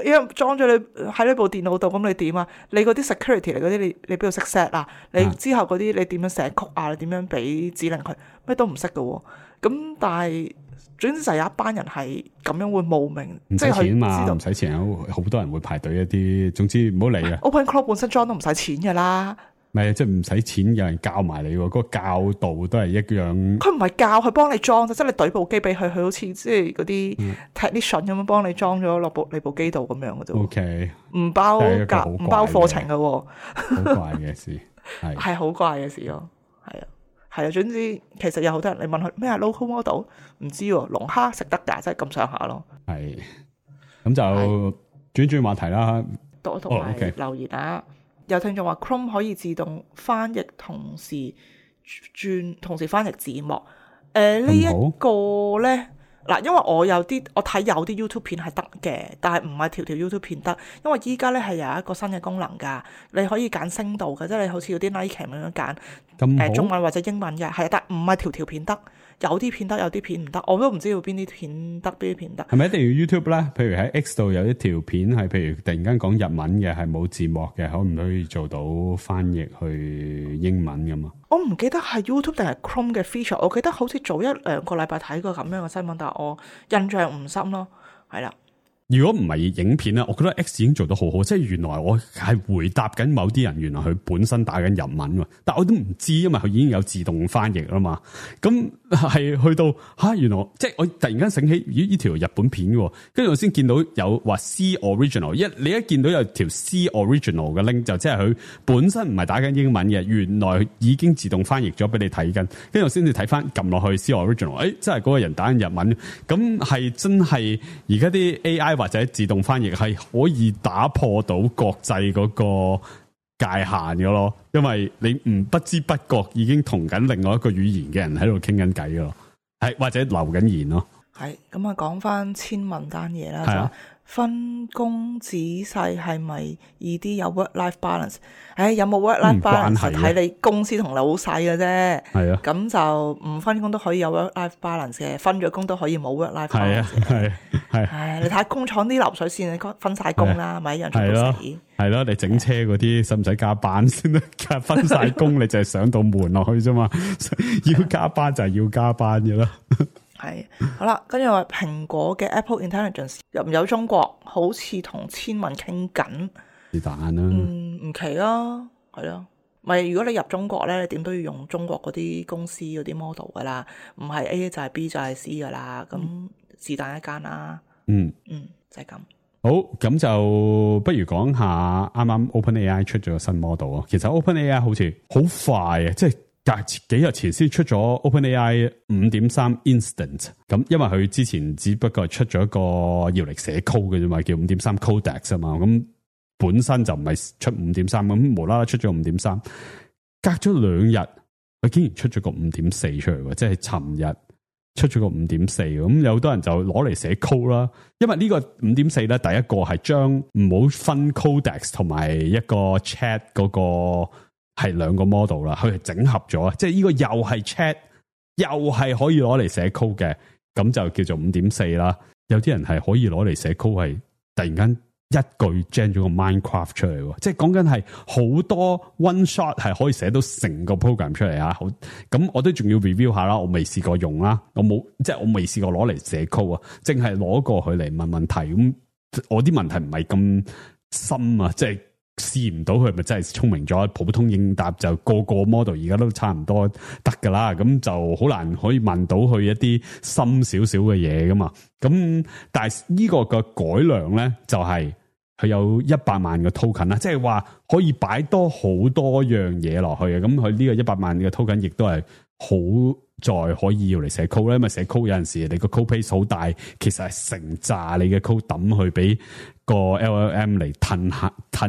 因為裝咗你喺呢部電腦度，咁你點啊？你嗰啲 security 嚟嗰啲，你邊度識 set 啊？你之後嗰啲你點樣寫曲啊？你點樣俾指令佢？咩都唔識㗎喎。咁但係總之就有一班人係咁樣會冒名，唔使錢嘛，唔使錢，好多人會排隊一啲。總之唔好理嘅。OpenClaw 本身裝都唔使錢㗎啦。唔係，即係唔使錢，有人教埋你喎。嗰個教導都係一樣。佢唔係教，佢幫你裝啫，即係你懟部機俾佢，佢好似即係嗰啲 technician 咁樣幫你裝咗落你部機度咁樣嘅啫。OK，唔包課程嘅喎。好怪嘅事，係好怪嘅事咯。係啊，總之其實有好多人你問佢咩係 local model， 唔知喎，龍蝦食得㗎，即係咁上下咯。係，咁就轉話題啦。多同埋留言啊！有聽眾話 Chrome 可以自動翻譯，同時翻譯字幕。呢一個咧嗱，因為我睇有啲 YouTube 片係得嘅，但係唔係條 YouTube 片得，因為依家咧係有一個新嘅功能㗎，你可以揀聲道嘅，即係你好似嗰啲 Nike 咁樣揀中文或者英文嘅，係，但係唔係條片得。有啲片得，有啲片唔得，我都唔知道邊啲片得，邊啲片得。係咪一定要 YouTube 咧？譬如喺 X 度有一條片係，譬如突然間講日文嘅，係冇字幕嘅，可唔可以做到翻譯去英文㗎嘛？我唔記得係 YouTube 定係 Chrome 嘅 feature， 我記得好似早1-2個禮拜睇過咁樣嘅新聞，但係我印象唔深咯，係啦。如果唔係影片咧，我覺得 X 已經做得好好，即係原來我係回答緊某啲人，原來佢本身打緊日文喎，但我都唔知，因為佢已經有自動翻譯啦嘛。咁係去到原來即係我突然間醒起，呢條日本片喎，跟住我先見到有話 C original， 你一見到有條 C original 嘅 link， 就即係佢本身唔係打緊英文嘅，原來已經自動翻譯咗俾你睇緊，跟住我先至睇翻撳落去 C original， 真係嗰個人打緊日文，咁係真係而家啲 AI。或者自動翻譯係可以打破到國際嗰個界限嘅咯，因為你唔不知不覺已經同緊另外一個語言嘅人喺度傾緊偈咯，係或者留緊言咯。係咁啊，講翻千文單嘢啦，就分工仔細係咪易啲有 work-life balance？ 有冇 work-life balance 係睇你公司同老細嘅啫。係啊，咁就唔分工都可以有 work-life balance 嘅，分咗工都可以冇 work-life balance。係你睇下工廠啲流水線，你分晒工啦，咪一樣做到死。係咯，你整車嗰啲使唔使加班先得？分晒工你就係上到門落去啫嘛，要加班就係要加班嘅啦。係好啦，跟住話蘋果嘅 Apple Intelligence 入唔有中國，好似同千文傾緊。是但啦，唔奇咯，係咯。咪如果你入中國咧，你點都要用中國嗰啲公司嗰啲 model 噶啦，唔係 A 就係 B 就係 C 噶啦，咁是但一間啦。就係咁。好，咁就不如講下啱啱 OpenAI 出咗個新 model 啊。其實 OpenAI 好似好快啊，即係隔幾日前先出咗 OpenAI 5.3 Instant， 咁因為佢之前只不過出咗一個要嚟寫 code 嘅啫嘛，叫 5.3 Codex 啊嘛，咁本身就唔係出 5.3， 咁無啦啦出咗 5.3， 隔咗2日，佢竟然出咗個 5.4 出嚟喎，即係尋日出咗個 5.4， 咁有好多人就攞嚟寫 code 啦，因為呢個 5.4 咧，第一個係將唔好分 Codex 同埋一個 chat 嗰個。係兩個 model 啦，佢係整合咗，即係呢個又係 chat，又係可以攞嚟寫 code 嘅，咁就叫做 5.4 啦。有啲人係可以攞嚟寫 code，係突然間一句 gen 咗個 Minecraft 出嚟，即係講緊係好多 one shot 係可以寫到成個 program 出嚟啊！好，咁我都仲要 review 下啦，我未試過用啦，我未試過攞嚟寫 code 啊，淨係攞過佢嚟問問題，咁我啲問題唔係咁深啊，即係。試唔到佢咪真係聰明咗，普通應答就個 model 而家都差唔多得噶啦，咁就好難可以問到佢一啲深少少嘅嘢噶嘛。咁但係呢個嘅改良咧，就係佢有100萬個 token 啦，即係話可以擺多好多樣嘢落去嘅。咁佢呢個100萬嘅 token 亦都係好在可以要嚟寫 code 咧，因為寫 code 有陣時你個 code base 好大，其實係成扎你嘅 code 抌去俾個 LLM 嚟褪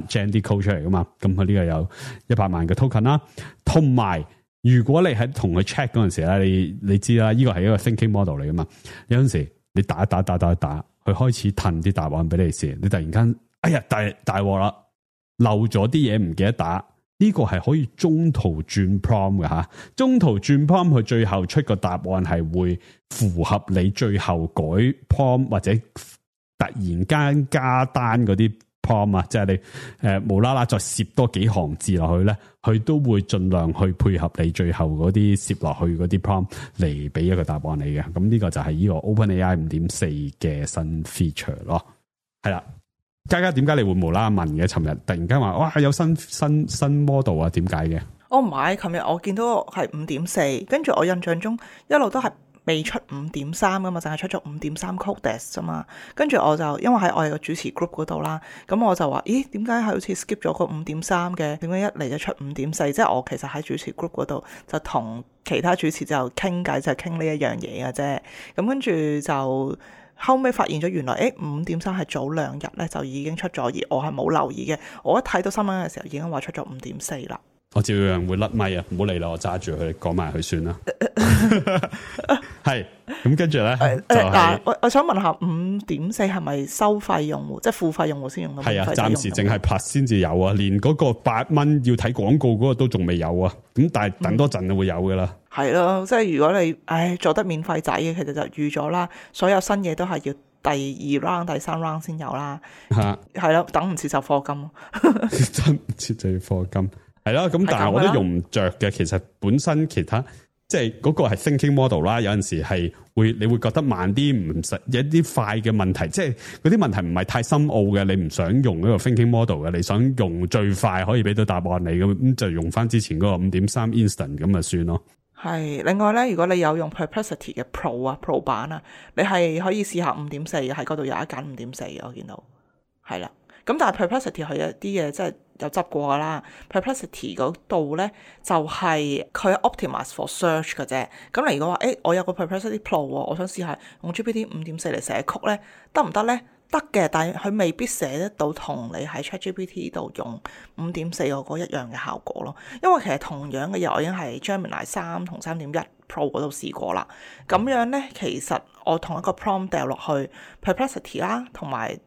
gen 啲 code 出嚟噶嘛。咁佢呢個有100萬嘅 token 啦，同埋如果你喺同佢 check 嗰陣時咧，你知啦，呢個係一個 thinking model 嚟噶嘛。有陣時你打，佢開始褪啲答案俾你試，你突然間哎呀大鑊啦，漏咗啲嘢唔記得打。呢個係可以中途轉 prompt 嘅吓，中途轉 prompt 佢最後出個答案係會符合你最後改 prompt 或者突然間加單嗰啲 prompt 啊，即係你無啦啦再攝多幾行字落去咧，佢都會盡量去配合你最後嗰啲攝落去嗰啲 prompt 嚟俾一個答案你嘅。咁呢個就係呢個 OpenAI 5.4 嘅新 feature 咯，係啦。嘉嘉點解你會無啦啦問嘅？尋日突然間話哇有新 model 啊，點解嘅？我唔係，琴日我見到係5.4，跟住我印象中一路都係未出5.3噶嘛，淨係出咗5.3 Codex 啫嘛。跟住我就因為喺我哋個主持 group 嗰度啦，咁我就話咦點解係好似 skip 咗個5.3嘅？點解一嚟就出5.4？即係我其實喺主持 group 嗰度就同其他主持就傾偈，就傾呢一樣嘢嘅啫。咁跟住就。後尾發現咗原來5.3係早2日咧就已經出咗，而我係冇留意嘅。我一睇到新聞嘅時候已經話出咗5.4啦。我照樣會甩咪啊！唔好理啦，我揸住佢講埋佢算啦。係咁跟住咧，嗱，我想問下5.4係咪收費用戶，即係付費用戶先用到？係啊，暫時淨係拍先至有啊，連嗰個8蚊要睇廣告嗰個都仲未有啊。咁但係等多陣就會有噶啦。係咯，即係如果你做得免費仔嘅，其實就預咗啦。所有新嘢都係要第2 round、第3 round 先有啦。係咯，等唔切就課金。等唔切就要課金。係啦，咁但係我都用唔着嘅。其實本身其他即係嗰個係 thinking model 啦，有陣時係你會覺得慢啲，唔實有啲快嘅問題，即係嗰啲問題唔係太深奧嘅，你唔想用嗰個 thinking model 嘅，你想用最快可以俾到答案你咁就用翻之前嗰個5.3 instant 咁就算咯。係，另外咧，如果你有用 Perplexity 嘅 Pro 版啊，你係可以試下5.4嘅，喺嗰度有一揀5.4嘅，我見到係啦。咁但係 Perplexity 佢有啲嘢即係有執過噶啦。Perplexity 嗰度咧就係佢 optimize for search 嘅啫。咁你如果話我有個 Perplexity Pro 我想試下用 GPT 5.4嚟寫曲咧，得唔得咧？得嘅，但係佢未必寫得到同你喺 ChatGPT 度用5.4嗰個一樣嘅效果咯。因為其實同樣嘅嘢我已經係 Gemini 3同3.1 Pro 嗰度試過啦。咁樣咧，其實我同一個 prompt 掉落去 Perplexity 啦，同埋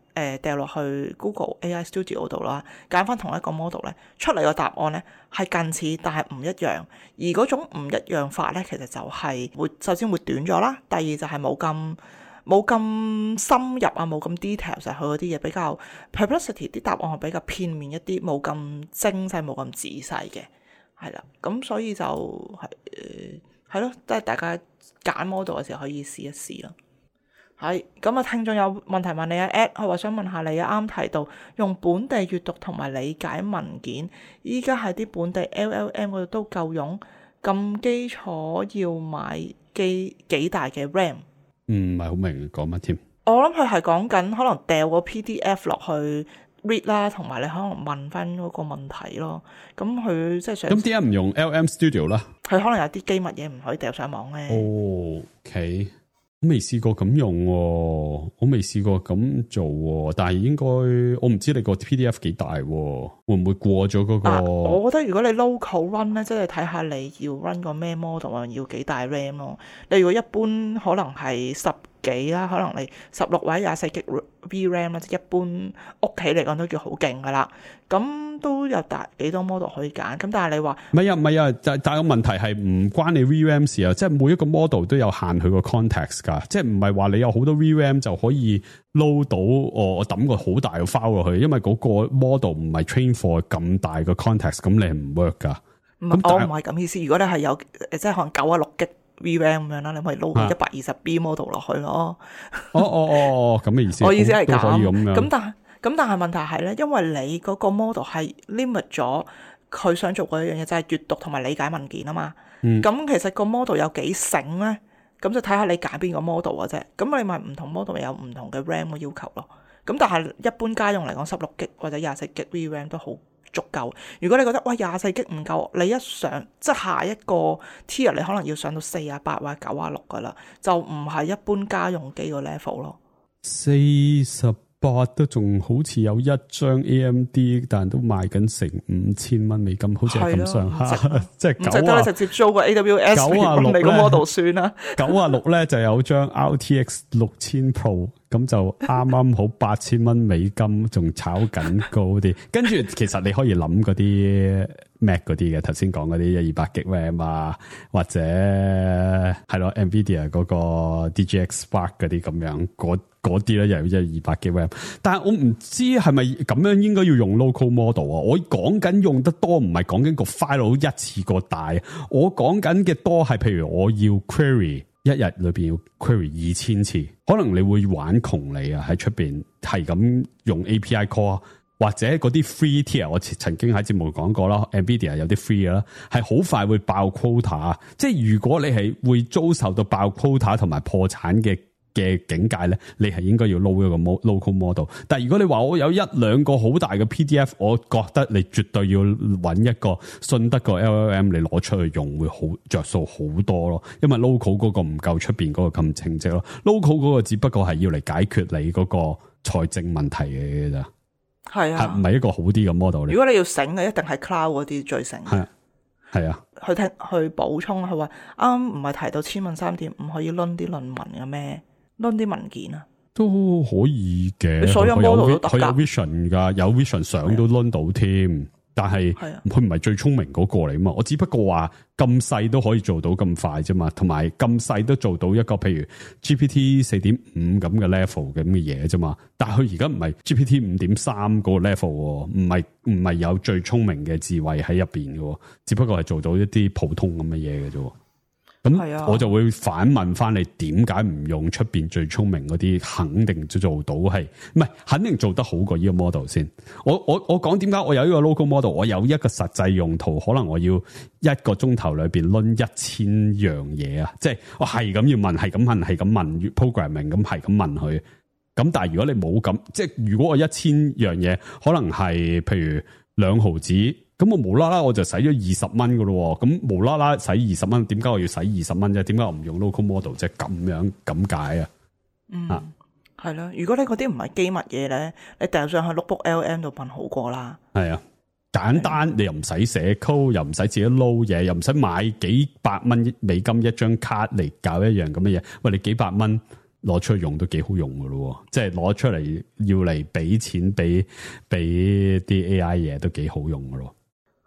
掉落去 Google AI Studio 度啦，揀翻同一個 model 咧，出嚟個答案咧係近似，但係唔一樣。而嗰種唔一樣法咧，其實就係首先會短咗啦，第二就係冇咁深入啊，冇咁 detail， 就係佢嗰啲嘢比較 Perplexity 啲答案係比較片面一啲，冇咁精細，冇咁仔細嘅，係啦。咁所以就係咯，即係大家揀 model 嘅時候可以試一試咯。係咁啊！聽眾有問題問你啊 ，Ed， 佢話想問下你啊，啱提到用本地閱讀同埋理解文件，依家喺啲本地 LLM 嗰度都夠用，咁基礎要買幾大嘅 RAM？唔係好明講乜添。我諗佢係講緊可能掉個 PDF 落去 read 啦，同埋你可能問翻嗰個問題咯。咁佢即係想咁點解唔用 LM Studio 啦？佢可能有啲機密嘢唔可以掉上網咧。OK。我未試過咁用喎，我未試過咁做喎，但係應該我唔知你個 PDF 幾大喎，會唔會過咗嗰個？我覺得如果你 local run 咧，即係睇下你要 run 個咩 model 啊，要幾大 RAM 咯。你如果一般可能係10幾啦，可能你16或者24 GB VRAM 啦，即一般屋企嚟講都叫好勁噶啦。咁都有幾多 model 可以揀。咁但係你話唔係啊，但係個問題係唔關你 VRAM 事啊，即係每一個 model 都有限佢個 context 噶，即係唔係話你有好多 VRAM 就可以 load 到我抌個好大嘅 file 落去，因為嗰個 model 唔係 train for 咁大嘅 context， 咁你係唔 work 噶。我唔係咁意思，如果你係有即係可能96 GB VRAM 咁樣啦，你可以撈個 120B model 落去咯。咁嘅意思。我意思係咁。咁但係問題係咧，因為你嗰個 model 係 limit 咗佢想做嗰一樣嘢，就係閱讀同埋理解文件啊嘛。咁其實個 model 有幾醒咧，咁就睇下你揀邊個 model 嘅啫。咁你咪唔同 model 有唔同嘅 RAM 嘅要求咯。咁但係一般家用嚟講，16 GB 或者24 GB VRAM 都好足夠。如果你覺得喂24G 唔夠，你一上即係下一個 tier 你可能要上到48或者96噶啦，就唔係一般家用機個 level 咯。48都仲好似有一張 AMD， 但都賣緊成$5000，好似係咁上下，即係唔值得你直接租個 AWS 嚟個 model 算啦。96咧就有張 RTX 6000 Pro， 咁就啱啱好$8000，仲炒緊高啲。跟住其實你可以諗嗰啲 Mac 嗰啲嘅，頭先講嗰啲128G RAM 啊，或者係咯 Nvidia 嗰個 DGX Spark 嗰啲咁樣嗰啲咧又有128G RAM， 但係我唔知係咪咁樣應該要用 local model 啊？我講緊用得多唔係講緊個 file 一次過大，我講緊嘅多係譬如我要 query 一日裏邊要 query 2000次，可能你會玩窮你啊！喺出邊係咁用 API call， 或者嗰啲 free tier， 我曾經喺節目講過啦 ，Nvidia 有啲 free 啦，係好快會爆 quota， 即係如果你係會遭受到爆 quota 同埋破產嘅境界咧，你係應該要 load 一個 local model。但係如果你話我有1-2個好大嘅 PDF， 我覺得你絕對要揾一個信得過 LLM 你攞出去用會好着數好多咯。因為 local 嗰個唔夠出邊嗰個咁稱職咯。local 嗰個只不過係要嚟解決你嗰個財政問題嘅咋。係啊，係唔係一個好啲嘅 model 咧？如果你要醒嘅，一定係 cloud 嗰啲最醒。係啊。去補充，佢話啱唔係提到千問3.5可以 run 啲論文嘅咩？攞啲文件啊，都可以嘅。所有 model 都得㗎，佢有 vision 噶，有 vision 相都 run 到添。但係佢唔係最聰明嗰個嚟嘛。我只不過話咁細都可以做到咁快啫嘛，同埋咁細都做到一個譬如 GPT 4.5咁嘅 level 咁嘅嘢啫嘛。但係佢而家唔係 GPT 5.3嗰個 level，唔係有最聰明嘅智慧喺入邊嘅，只不過係做到一啲普通咁嘅嘢嘅啫。咁我就會反問翻你，點解唔用出邊最聰明嗰啲？肯定做到係，唔係肯定做得好過呢個 model 先。我講點解我有呢個 local model， 我有一個實際用途，可能我要1個鐘頭裏邊掄1000樣嘢啊！即係我係咁要問，係咁問 programming， 咁係咁問佢。咁但係如果你冇咁，即係如果我1000樣嘢，可能係譬如2毫子。咁我無啦啦我就使咗20蚊噶咯，咁無啦啦使20蚊，點解我要使20蚊啫？點解我唔用 local model 啫？咁解啊？係啦。如果你嗰啲唔係機密嘢咧，你掉上去 notebook LM 度問好過啦。係啊，簡單，你又唔使寫 code，又唔使自己撈嘢，又唔使買幾百蚊美金一張卡嚟搞一樣咁嘅嘢。喂，你幾百蚊攞出去用都幾好用噶咯，即係攞出嚟要嚟俾錢俾啲 AI 嘢都幾好用噶咯。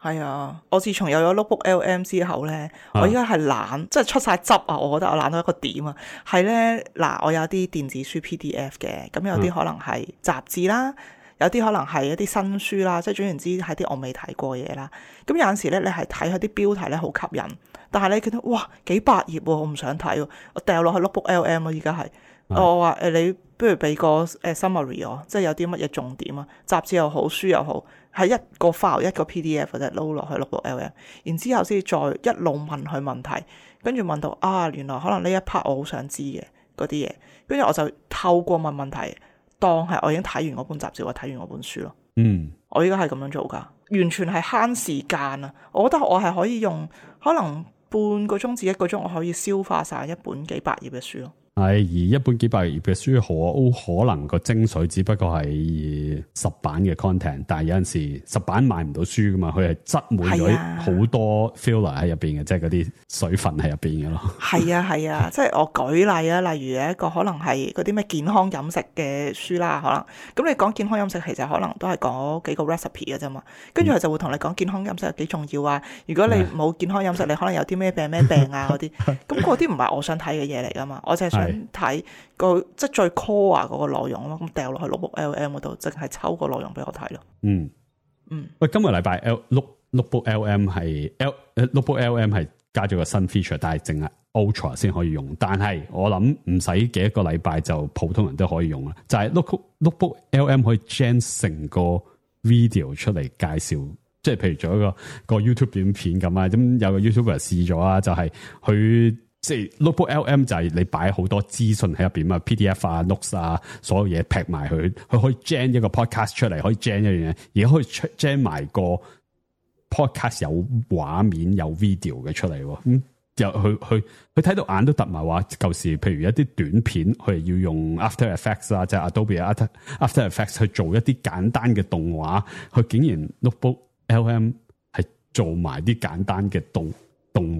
係啊，我自從有咗 notebook LM 之後咧，我依家係懶，即係出晒汁啊！我覺得我懶到一個點啊，係咧嗱，我有啲電子書 PDF 嘅，咁有啲可能係雜誌啦，有啲可能係一啲新書啦，即係總言之係啲我未睇過嘅嘢啦。咁有陣時咧，你係睇佢啲標題咧好吸引，但係你見到哇幾百頁喎，我唔想睇喎，我掉落去 notebook LM 咯，依家係。我話你不如俾個summary 我，即係有啲乜嘢重點啊？雜誌又好，書又好，係一個 file 一個 PDF 或者撈落去 notebook LM， 然之後先再一路問佢問題，跟住問到原來可能呢一 part 我好想知嘅嗰啲嘢，跟住我就透過問問題，當係我已經睇完嗰本雜誌或睇完嗰本書咯。我依家係咁樣做噶，完全係慳時間啊！我覺得我係可以用可能半個鐘至1個鐘，我可以消化晒一本幾百頁嘅書咯。係，而一本幾百頁嘅書可能個精髓只不過係10版嘅 content， 但係有陣時10版買唔到書噶嘛，佢係擠滿咗好多 filler 喺入邊嘅，即係嗰啲水分喺入邊嘅咯。係啊，即係我舉例啊，例如有一個可能係嗰啲咩健康飲食嘅書啦，可能咁你講健康飲食其實可能都係講幾個 recipe 嘅啫嘛，跟住佢就會同你講健康飲食有幾重要啊。如果你冇健康飲食，你可能有啲咩病啊嗰啲，咁嗰啲唔係我想睇嘅嘢嚟噶嘛，我就係想睇個即係最 core 嗰個內容咯，咁掉落去 notebook LM 嗰度，淨係抽個內容俾我睇咯。喂，今個禮拜 notebook LM 係 notebook LM 係加咗個新 feature， 但係淨係 Ultra 先可以用。但係我諗唔使幾個禮拜就普通人都可以用啦。就係 notebook LM 可以 gen 成個 video 出嚟介紹，即係譬如做一個 YouTube 短片咁啊。咁有個 YouTuber 試咗啊，就係佢即係 Notebook LM 就係你擺好多資訊喺入邊啊 ，PDF 啊、notes 啊，所有嘢劈埋佢可以 gen 一個 podcast 出嚟，可以 gen 一樣嘢，而家可以 gen 埋個 podcast 有畫面有 video 嘅出嚟，咁又佢睇到眼都突埋話，舊時譬如一啲短片，佢要用 After Effects 啊，即係 Adobe After Effects 去做一啲簡單嘅動畫，佢竟然 Notebook LM 係做埋啲簡單嘅動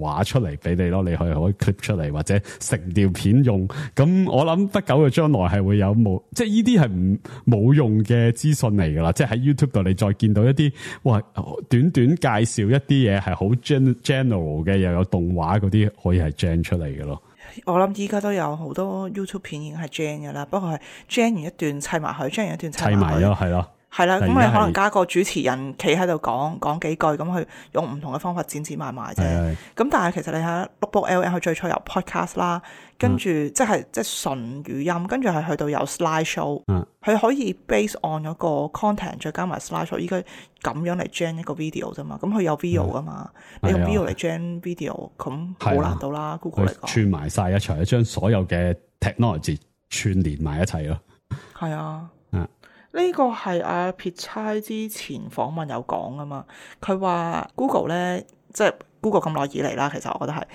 畫出嚟俾你咯，你可以 clip 出嚟或者成條片用。咁我諗不久嘅將來係會有冇，即係呢啲係冇用嘅資訊嚟噶啦。即係喺 YouTube 度你再見到一啲哇短短介紹一啲嘢係好 general 嘅，又有動畫嗰啲可以係 gen 出嚟嘅咯。我諗依家都有好多 YouTube 片已經係 gen 嘅啦，不過係 gen 完一段砌埋佢，gen 完一段砌埋咯，係咯。係啦，咁你可能加個主持人企喺度講幾句，咁去用唔同嘅方法剪埋啫。咁但係其實你喺 Notebook LM 佢最初有 podcast 啦，跟住即係純語音，跟住係去到有 slide show，佢可以 base on 嗰個 content 再加埋 slide show，依家咁樣嚟 gen 一個 video 啫嘛。咁佢有 video 噶嘛，你用 video 嚟 gen video，咁好難到啦。Google 嚟講串埋晒一齊，將所有嘅 technology 串連埋一齊咯。係啊。呢個係阿撇差之前訪問有講噶嘛，佢話 Google 咧，即係 Google 咁耐以嚟啦，其實我覺得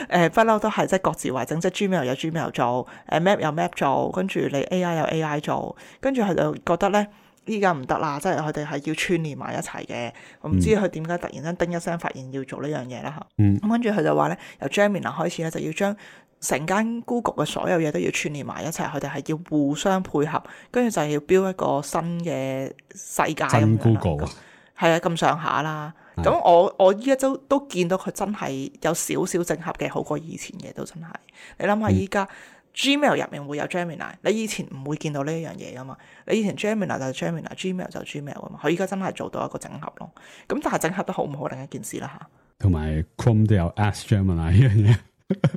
係不嬲都係即係各自為政，即係 Gmail 有 Gmail 做，Map 有 Map 做，跟住你 AI 有 AI 做，跟住佢就覺得咧依家唔得啦，即係佢哋係要串連埋一齊嘅。我唔知佢點解突然間叮一聲發現要做呢樣嘢啦嚇。咁跟住佢就話咧，由 Gemini 開始咧就要將成間 Google 嘅所有嘢都要串連埋一齊，佢哋係要互相配合，跟住就係要 build一個新嘅世界咁樣。Google 係啊，咁上下啦。咁我依家都見到佢真係有少少整合嘅，好過以前嘅都真係。你諗下依家 Gmail 入面會有 Gemini， 你以前唔會見到呢一樣嘢噶嘛？你以前 Gemini 就係 Gemini，Gmail 就 Gmail 噶嘛？佢依家真係做到一個整合咯。咁但係整合得好唔好另一件事啦嚇。同埋 Chrome 都有 Ask Gemini 呢樣嘢。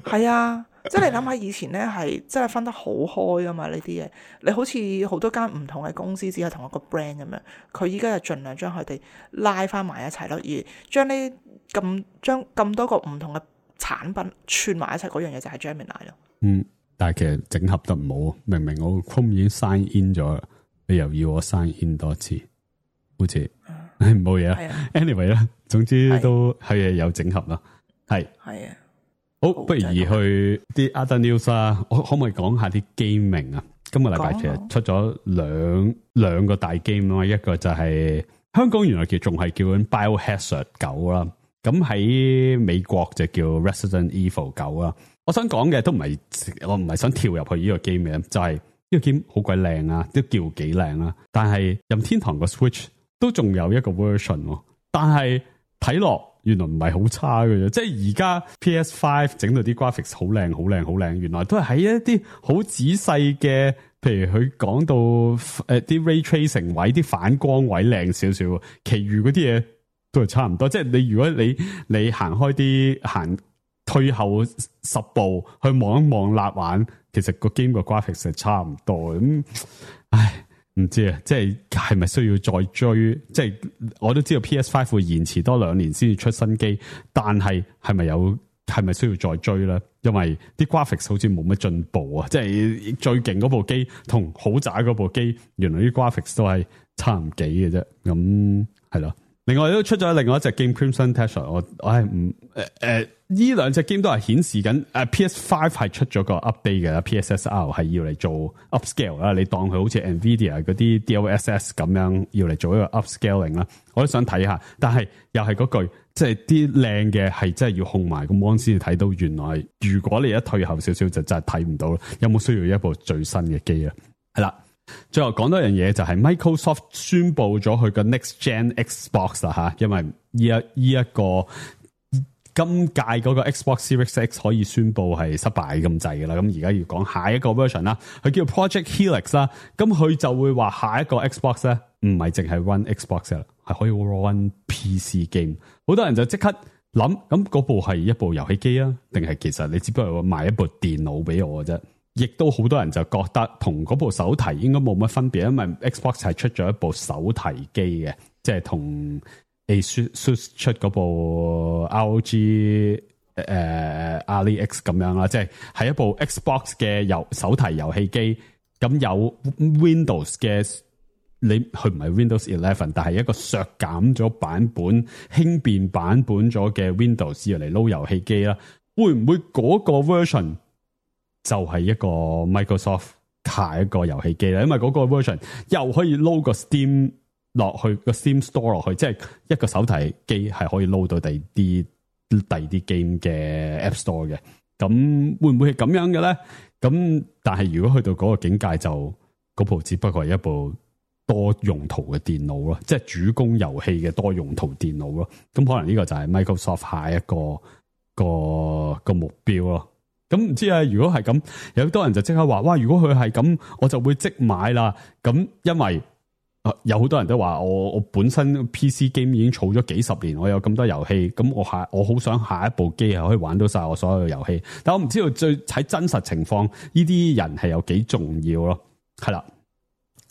係啊。即係你諗下以前咧係真係分得好開噶嘛呢啲嘢，你好似好多間唔同嘅公司只係同一個 brand 咁樣，佢依家就盡量將佢哋拉翻埋一齊咯，而將咁多個唔同嘅產品串埋一齊嗰樣嘢就係 Gemini 咯。但係其實整合得唔好，明明我 Chrome 已經 sign in 咗，你又要我 sign in 多次，好似冇嘢啦。Anyway 啦，總之都係有整合啦，係啊。好，不如去啲 other news 啦。我可唔可以講下啲 gaming 啊？今個禮拜其實出咗兩個大 game 啦，一個就係香港原來仲係叫緊 Biohazard 9啦，咁喺美國就叫 Resident Evil 9啦。我想講嘅我唔係想跳入去呢個 game 嘅，就係呢個 game 好鬼靚啊，都叫幾靚啦。但係任天堂個 Switch 都仲有一個 version， 但係睇落原來唔係好差嘅啫，即係而家 PS5 整到啲 graphics 好靚好靚好靚，原來都係喺一啲好仔細嘅，譬如佢講到啲 ray tracing 位、啲反光位靚少少，其餘嗰啲嘢都係差唔多。即係你如果你行退後10步去望一望立眼，其實個 game 個 graphics 係差唔多咁，唉。唔知啊，即係咪需要再追？即係我都知道 PS5 會延遲多2年先至出新機，但係係咪需要再追咧？因為啲 graphics 好似冇乜進步啊！即係最勁嗰部機同好渣嗰部機，原來啲 graphics 都係差唔幾嘅啫。咁係咯。另外都出咗另外一隻 game Crimson Tether， 我係唔呢兩隻 game 都係顯示緊PS5 係出咗個 update 嘅 PSSR 係要嚟做 upscale 啦，你當佢好似 Nvidia 嗰啲 DLSS 咁樣要嚟做一個 upscaling 啦，我都想睇下，但係又係嗰句，即係啲靚嘅係真係要控埋個 mon 先至睇到，原來如果你一退後少少就真係睇唔到，有冇需要一部最新嘅機啊？係啦。最後講多樣嘢就係 Microsoft 宣布咗佢個 Next Gen Xbox 啦吓，因為呢一個今屆嗰個 Xbox Series X 可以宣布係失敗咁滯噶啦，咁而家要講下一個 version 啦，佢叫 Project Helix 啦，咁佢就會話下一個 Xbox 咧唔係淨係 run Xbox 啦，係可以 run PC game， 好多人就即刻諗，咁嗰部係一部遊戲機啊，定係其實你只不過賣一部電腦俾我嘅啫？亦都好多人就覺得同嗰部手提應該冇乜分別，因為 Xbox 係出咗一部手提機嘅，即係同 ASUS 出嗰部 ROG AliEx 咁樣啦，即係係一部 Xbox 嘅手提遊戲機，咁有 Windows 嘅，佢唔係 Windows 11，但係一個削減咗版本、輕便版本咗嘅 Windows 要嚟撈遊戲機啦。會唔會嗰個 version 就係一個 Microsoft 下一個遊戲機咧？因為嗰個 version 又可以撈個 Steam 落去，個 Steam Store 落去，即係一個手提機係可以撈到第二啲 game 嘅 App Store 嘅。咁會唔會係咁樣嘅咧？咁但係如果去到嗰個境界，就嗰部只不過係一部多用途嘅電腦咯，即係主攻遊戲嘅多用途電腦咯。咁可能呢個就係 Microsoft 下一個目標咯。咁唔知啊，如果係咁，有好多人就即刻話，哇！如果佢係咁，我就會即買啦。咁因為有好多人都話，我本身 PC game 已經儲咗幾十年，我有咁多遊戲，咁我好想下一部機係可以玩到晒我所有嘅遊戲。但我唔知道喺真實情況，呢啲人係有幾重要咯。係啦，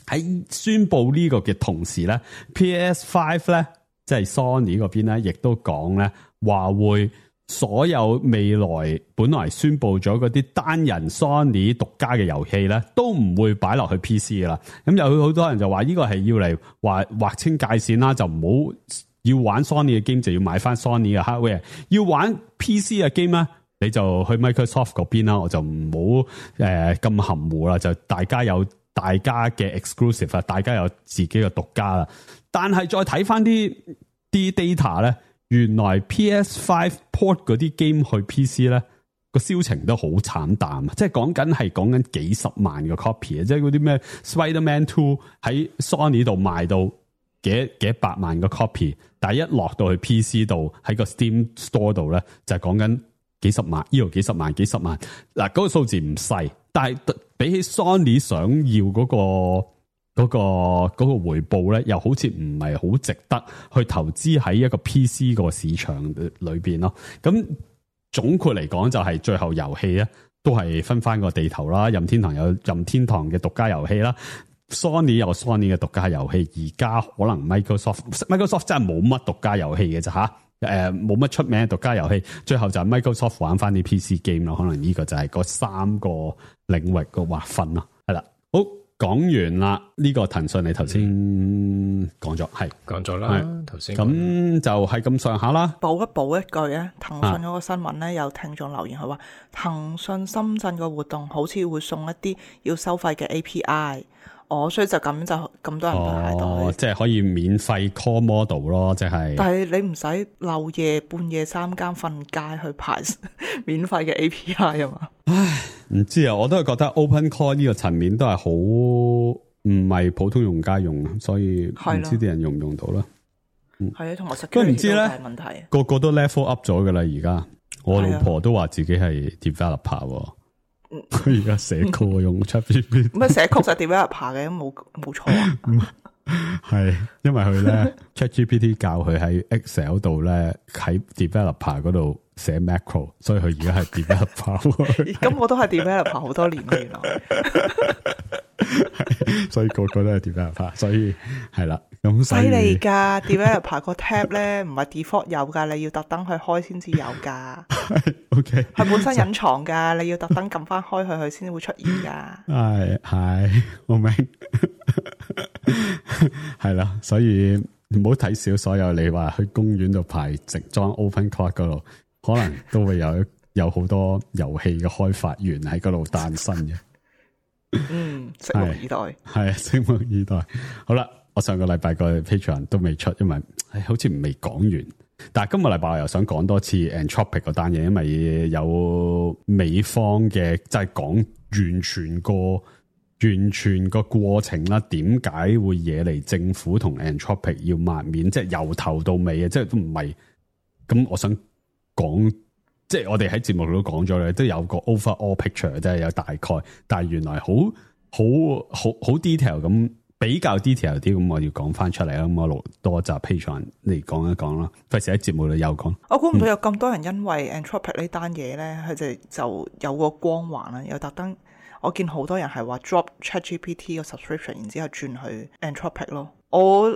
喺宣布呢個嘅同時咧 ，PS5 咧，即係 Sony 嗰邊咧，亦都講咧話會。所有未來本來宣布咗嗰啲單人 Sony 獨家嘅遊戲咧，都唔會擺落去 PC 噶啦。咁有好多人就話呢個係要嚟劃清界線啦，就唔好要玩 Sony 嘅 game 就要買翻 Sony 嘅 hardware， 要玩 PC 嘅 game 咧，你就去 Microsoft 嗰邊啦。我就唔好咁含糊啦，就大家有大家嘅 exclusive 啊，大家有自己嘅獨家啦。但係再睇翻啲 data 咧。原來 PS5 port 嗰啲 game 去 PC 咧，個銷情都好慘淡，即係講緊幾十萬個 copy 啊！即係嗰啲咩 Spider-Man 2喺 Sony 度賣到幾百萬個 copy， 但係一落到去 PC 度喺個 Steam Store 度咧，就係講緊幾十萬，呢度幾十萬。嗱，嗰個數字唔細，但係比起 Sony 想要嗰個回報咧，又好似唔係好值得去投資喺一個 PC 個市場裏邊咯。咁總括嚟講，就係最後遊戲咧都係分翻個地頭啦。任天堂有任天堂嘅獨家遊戲啦 ，Sony 有 Sony 嘅獨家遊戲。而家可能 Microsoft 真係冇乜獨家遊戲嘅咋吓，冇乜出名嘅獨家遊戲。最後就係 Microsoft 玩翻啲 PC game 咯。可能呢個就係嗰三個領域個劃分咯。係啦，好。講完啦，呢個騰訊你頭先講咗，係講咗啦，頭先咁就係咁上下啦。補一句咧，騰訊嗰個新聞咧，有聽眾留言佢話，騰訊深圳個活動好似會送一啲要收費嘅 API，所以就咁多人排隊，即係可以免費 call model 咯，即係。但係你唔使漏夜半夜3更瞓街去排免費嘅 API 啊嘛。唉，唔知啊，我都係覺得 Open Call 呢個層面都係好唔係普通用家用，所以唔知啲人用唔用到啦。係啊，同埋都唔知咧，問題個個都 level up 咗噶啦。而家我老婆都話自己係 developer， 佢而家寫曲用 ChatGPT， 咁寫曲就 developer 嘅，冇錯啊。係因為佢咧 ChatGPT 教佢喺 Excel 度咧喺 developer 嗰度寫 macro， 所以佢而家係 developer。咁我都係 developer 好多年原來。所以個個都係 developer， 所以係啦。咁犀利噶 developer 個 tab 咧唔係 default 有噶，你要特登去開先至有噶。OK， 係本身隱藏噶，你要特登撳翻開佢先會出現噶。係，我明。係啦，所以唔好睇少所有你話去公園度排直裝 Open Cloud 嗰度，可能都會有好多遊戲嘅開發員喺嗰度誕生嘅。拭目以待。係拭目以待。好啦，我上個禮拜個 Patreon 都未出，因為好似未講完。但係今個禮拜我又想講多次 Anthropic 嗰單嘢，因為有美方嘅即係講完全個過程啦，點解會惹嚟政府同 Anthropic 要抹面，即係由頭到尾啊，即係都唔係。咁我想講，即係我哋喺節目度都講咗咧，都有個 overall picture，即係有大概，但係原來好 detail 咁，比較 detail 啲，咁我要講翻出嚟啦。咁我錄多集 Patreon 嚟講一講啦，費事喺節目度又講。我估唔到有咁多人因為 Anthropic 呢單嘢咧，佢就有個光環啦，又特登。我見好多人係話 drop ChatGPT 個 subscription， 然之後轉去 Anthropic 咯。我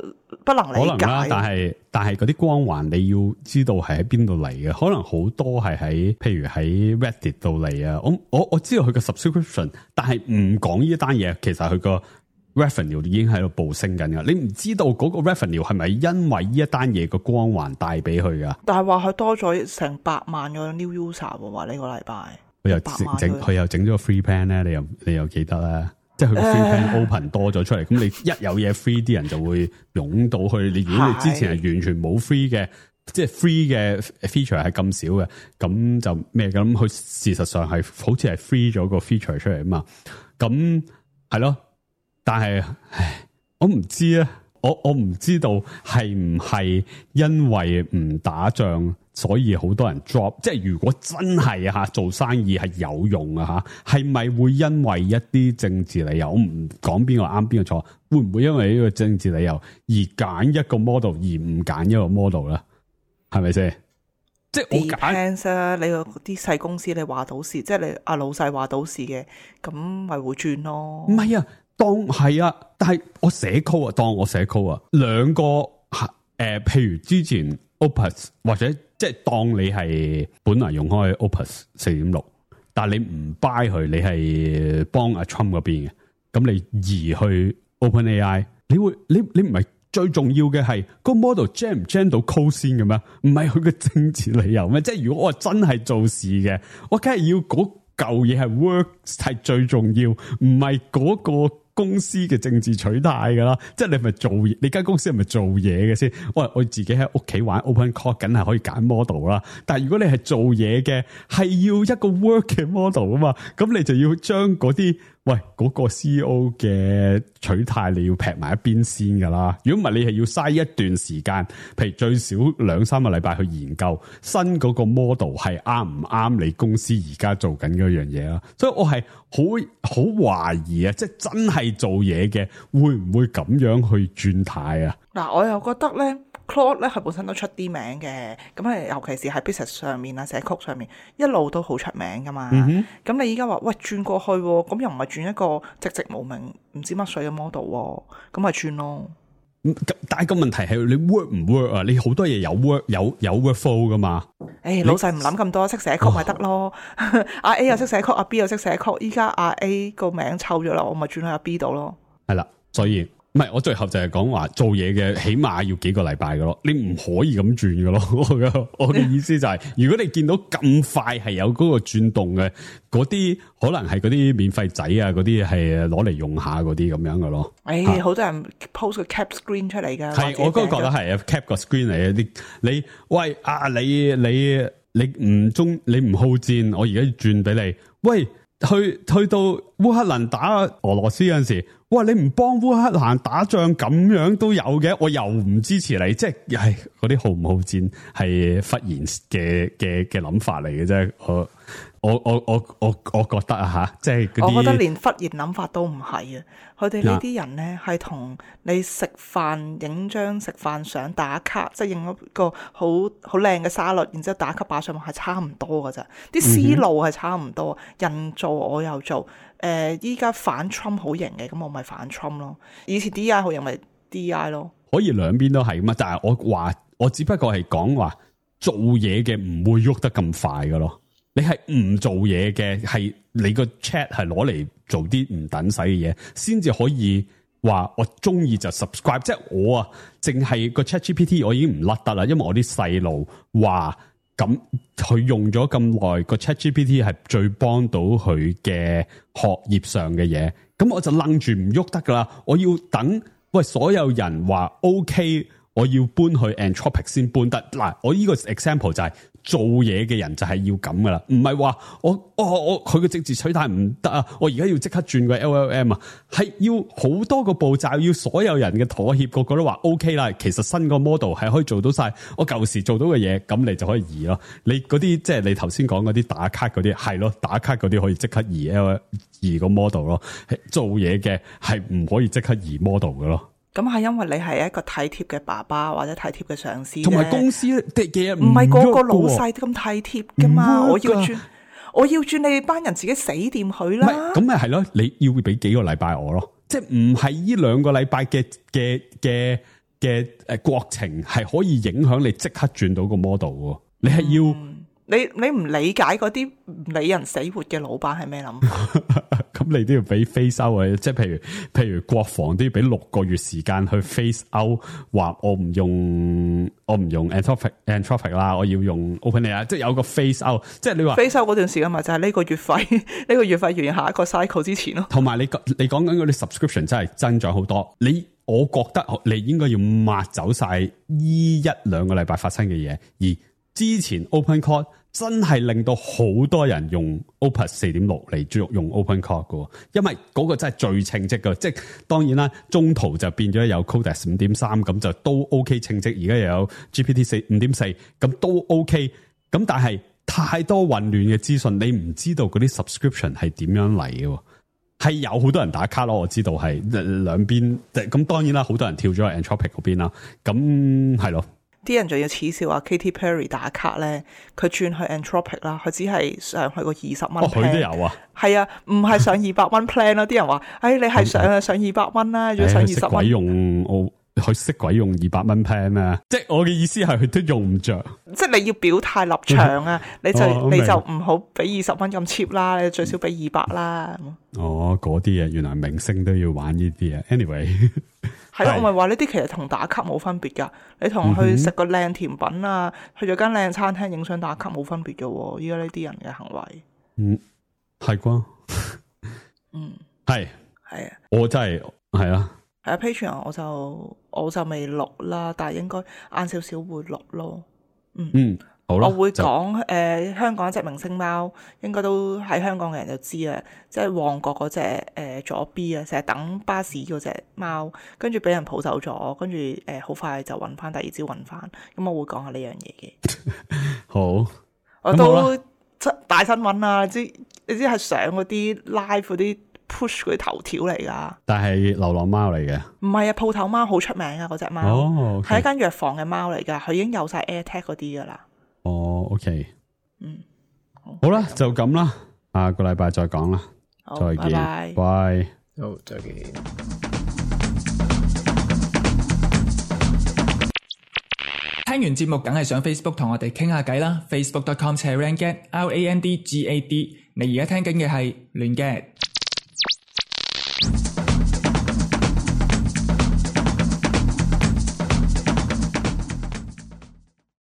不能理解。可能啦，但係嗰啲光環你要知道係喺邊度嚟嘅，可能好多係喺譬如喺 Reddit 度嚟啊。我知道佢個 subscription， 但係唔講呢一單嘢，其實佢個 revenue 已經喺度暴升緊噶。你唔知道嗰個 revenue 係咪因為呢一單嘢個光環帶俾佢噶？但係話佢多咗成100萬個 new user 喎，話呢個禮拜佢又整咗個 free plan 咧，你又記得啦。即係佢個 free plan open 多咗出嚟，咁你一有嘢 free， 啲人就會湧到去。你如果你之前係完全冇 free 嘅，即係 free 嘅 feature 係咁少嘅，咁就咩咁？佢事實上係好似係 free 咗個 feature 出嚟啊嘛。咁係咯，但係我唔知啊，我唔知道係唔係因為唔打仗，所以好多人 drop， 即係如果真係啊做生意係有用啊吓，係咪會因為一啲政治理由？我唔講邊個啱邊個錯，會唔會因為呢個政治理由而揀一個 model 而唔揀一個 model 咧？係咪先？即係我揀啊！你個啲細公司你話到事，即係你阿老細話到事嘅，咁咪會轉咯。唔係啊，當係啊，但係我寫 code 啊，當我寫 code 啊，兩個譬如之前 Opus 或者。即係當你係本來用開 Opus 4.6， 但係你唔 buy 佢，你係幫阿 Trump 嗰邊嘅，咁你移去 OpenAI， 你唔係最重要嘅係個 model gen 唔 gen 到 code 先嘅咩？唔係佢嘅政治理由咩？即係如果我真係做事嘅，我梗係要嗰嚿嘢係 work 係最重要，唔係嗰個公司嘅政治取態噶啦，即係你咪做嘢，你間公司係咪做嘢嘅先？我自己喺屋企玩 OpenCore， 梗係可以揀 model 啦。但係如果你係做嘢嘅，係要一個 work 嘅 model 啊嘛，咁你就要將嗰啲嗰個 CEO 嘅取態你要劈埋一邊先噶啦。如果唔係，你係要嘥一段時間，譬如最少2-3個禮拜去研究新嗰個 model 係啱唔啱你公司而家做緊嗰樣嘢啦。所以我係好懷疑啊，即係真係做嘢嘅會唔會咁樣去轉態啊？嗱，我又覺得咧 Claude 咧佢本身都出啲名嘅，咁係尤其是喺 business 上面啊、寫曲上面一路都好出名噶嘛。咁你依家話轉過去，咁又唔係轉一個寂寂無名唔知乜水嘅 model， 咁咪轉咯。但係個問題係你 work 唔 work 啊？你好多嘢有 work 有 workflow 噶嘛？老細唔諗咁多，識寫曲咪得咯。阿 A 又識寫曲，阿 B 又識寫曲，依家阿 A 個名湊咗啦，我咪轉去阿 B 度咯。係啦，所以唔係我最後就係講話做嘢嘅起碼要幾個禮拜噶咯，你唔可以咁轉噶咯。我嘅意思就係，如果你見到咁快係有嗰個轉動嘅，嗰啲可能係嗰啲免費仔啊，嗰啲係攞嚟用下嗰啲咁樣噶咯。好多人 post 個 cap screen 出嚟噶。係，我都覺得係啊 ，cap 個 screen 嚟嘅。你喂啊，你唔好戰，我而家轉俾你。喂，去到烏克蘭打俄羅斯嗰陣時，哇！你唔幫烏克蘭打仗咁樣都有嘅，我又唔支持你，即係嗰啲好唔好戰係忽然嘅諗法嚟嘅啫。我覺得啊吓，即係我覺得連忽然諗法都唔係啊！佢哋呢啲人咧係同你食飯影張食飯相打卡，即係影一個好靚嘅沙律，然之後打卡擺上網係差唔多噶咋，啲思路係差唔多。人做我又做，依家反 Trump 好型嘅，咁我咪反 Trump 咯。以前 DI 好型咪 DI 咯。可以兩邊都係嘛，但係我只不過係講話做嘢嘅唔會喐得咁快噶咯。你係唔做嘢嘅，係你個 chat 係攞嚟做啲唔等使嘅嘢，先至可以話我中意就 subscribe。即係我啊，淨係個 ChatGPT 我已經唔甩得啦，因為我啲細路話咁佢用咗咁耐，個 ChatGPT 係最幫到佢嘅學業上嘅嘢，咁我就愣住唔喐得噶啦。我要等所有人話 OK， 我要搬去 Anthropic 先搬得。嗱，我呢個 example 就係做嘢嘅人就係要咁噶啦，唔係話我佢嘅政治取態唔得啊，我而家要即刻轉個 LLM 啊，係要好多個步驟，要所有人嘅妥協，個個都話 OK 啦。其實新個 model 係可以做到晒我舊時做到嘅嘢，咁你就可以移咯。你嗰啲即係你頭先講嗰啲打卡嗰啲，係咯，打卡嗰啲可以即刻移個 model 咯。做嘢嘅係唔可以即刻移 model 嘅咯。咁係因為你係一個體貼嘅爸爸或者體貼嘅上司，同埋公司嘅嘢唔係個個老細都咁體貼噶嘛。我要轉你班人自己死掂佢啦。咁咪係咯，你要俾幾個禮拜我咯，即係唔係呢2個禮拜嘅國情係可以影響你即刻轉到個 model 喎，你係要。你唔理解嗰啲唔理人死活嘅老闆係咩諗法？咁你都要俾 phase out 啊！即係譬如國防都要俾6個月時間去 phase out，話我唔用 Anthropic 啦，我要用 OpenAI，即係有個 phase out。即係你話 phase out 嗰段時間咪就係呢個月費，呢個月費完下一個 cycle 之前咯。同埋你講緊嗰啲 subscription 真係增長好多。我覺得你應該要抹走晒呢1-2個禮拜發生嘅嘢，而之前 OpenClaw 真係令到好多人用 Opus 4.6 嚟用 OpenClaw 嘅，因為嗰個真係最稱職嘅。即係當然啦，中途就變咗有 Codex 5.3，咁就都 OK 稱職。而家又有 GPT 5.4，咁都 OK。咁但係太多混亂嘅資訊，你唔知道嗰啲 subscription 係點樣嚟嘅。係有好多人打卡咯，我知道係兩邊。咁當然啦，好多人跳咗去 Anthropic 嗰邊啦。咁係咯。啲人仲要恥笑話 Katy Perry 打卡咧，佢轉去 Anthropic 啦，佢只係上去個20蚊。佢都有啊。係啊，唔係上200蚊 plan 咯。啲人話，你係上200蚊啦，要上20蚊。佢識鬼用200蚊 plan 咩？即係我嘅意思係佢都用唔着。即係你要表態立場啊！你就唔好俾20蚊咁 cheap 啦，你最少俾200啦。嗰啲嘢原來明星都要玩呢啲啊。Anyway， 係咯，我咪話呢啲其實同打卡冇分別噶。你同去食個靚甜品啊，去咗間靚餐廳影相打卡冇分別噶。依家呢啲人嘅行為，係啩？係啊，我真係係啊。Patreon 我就未錄啦，但係應該晏少少會錄咯。好啦，我會講香港一隻明星貓，應該都喺香港嘅人就知啊，即係旺角嗰隻左 B 啊，成日等巴士嗰隻貓，跟住俾人抱走咗，跟住好快就揾翻，第二朝揾翻。咁我會講下呢樣嘢嘅。好，我都大新聞啊！你知係上嗰啲 live 嗰啲 push 嗰啲頭條嚟噶，但係流浪貓嚟嘅，唔係啊，鋪頭貓好出名啊，嗰隻貓係一間藥房嘅貓嚟噶，佢已經有晒 AirTag 嗰啲噶啦。OK，好啦，就咁啦，下個禮拜再講啦，再見，拜，好，再見。聽完節目梗係上 Facebook 同我哋傾下偈啦，facebook.com/randgad，RANDGAD。你而家聽緊嘅係亂 gad。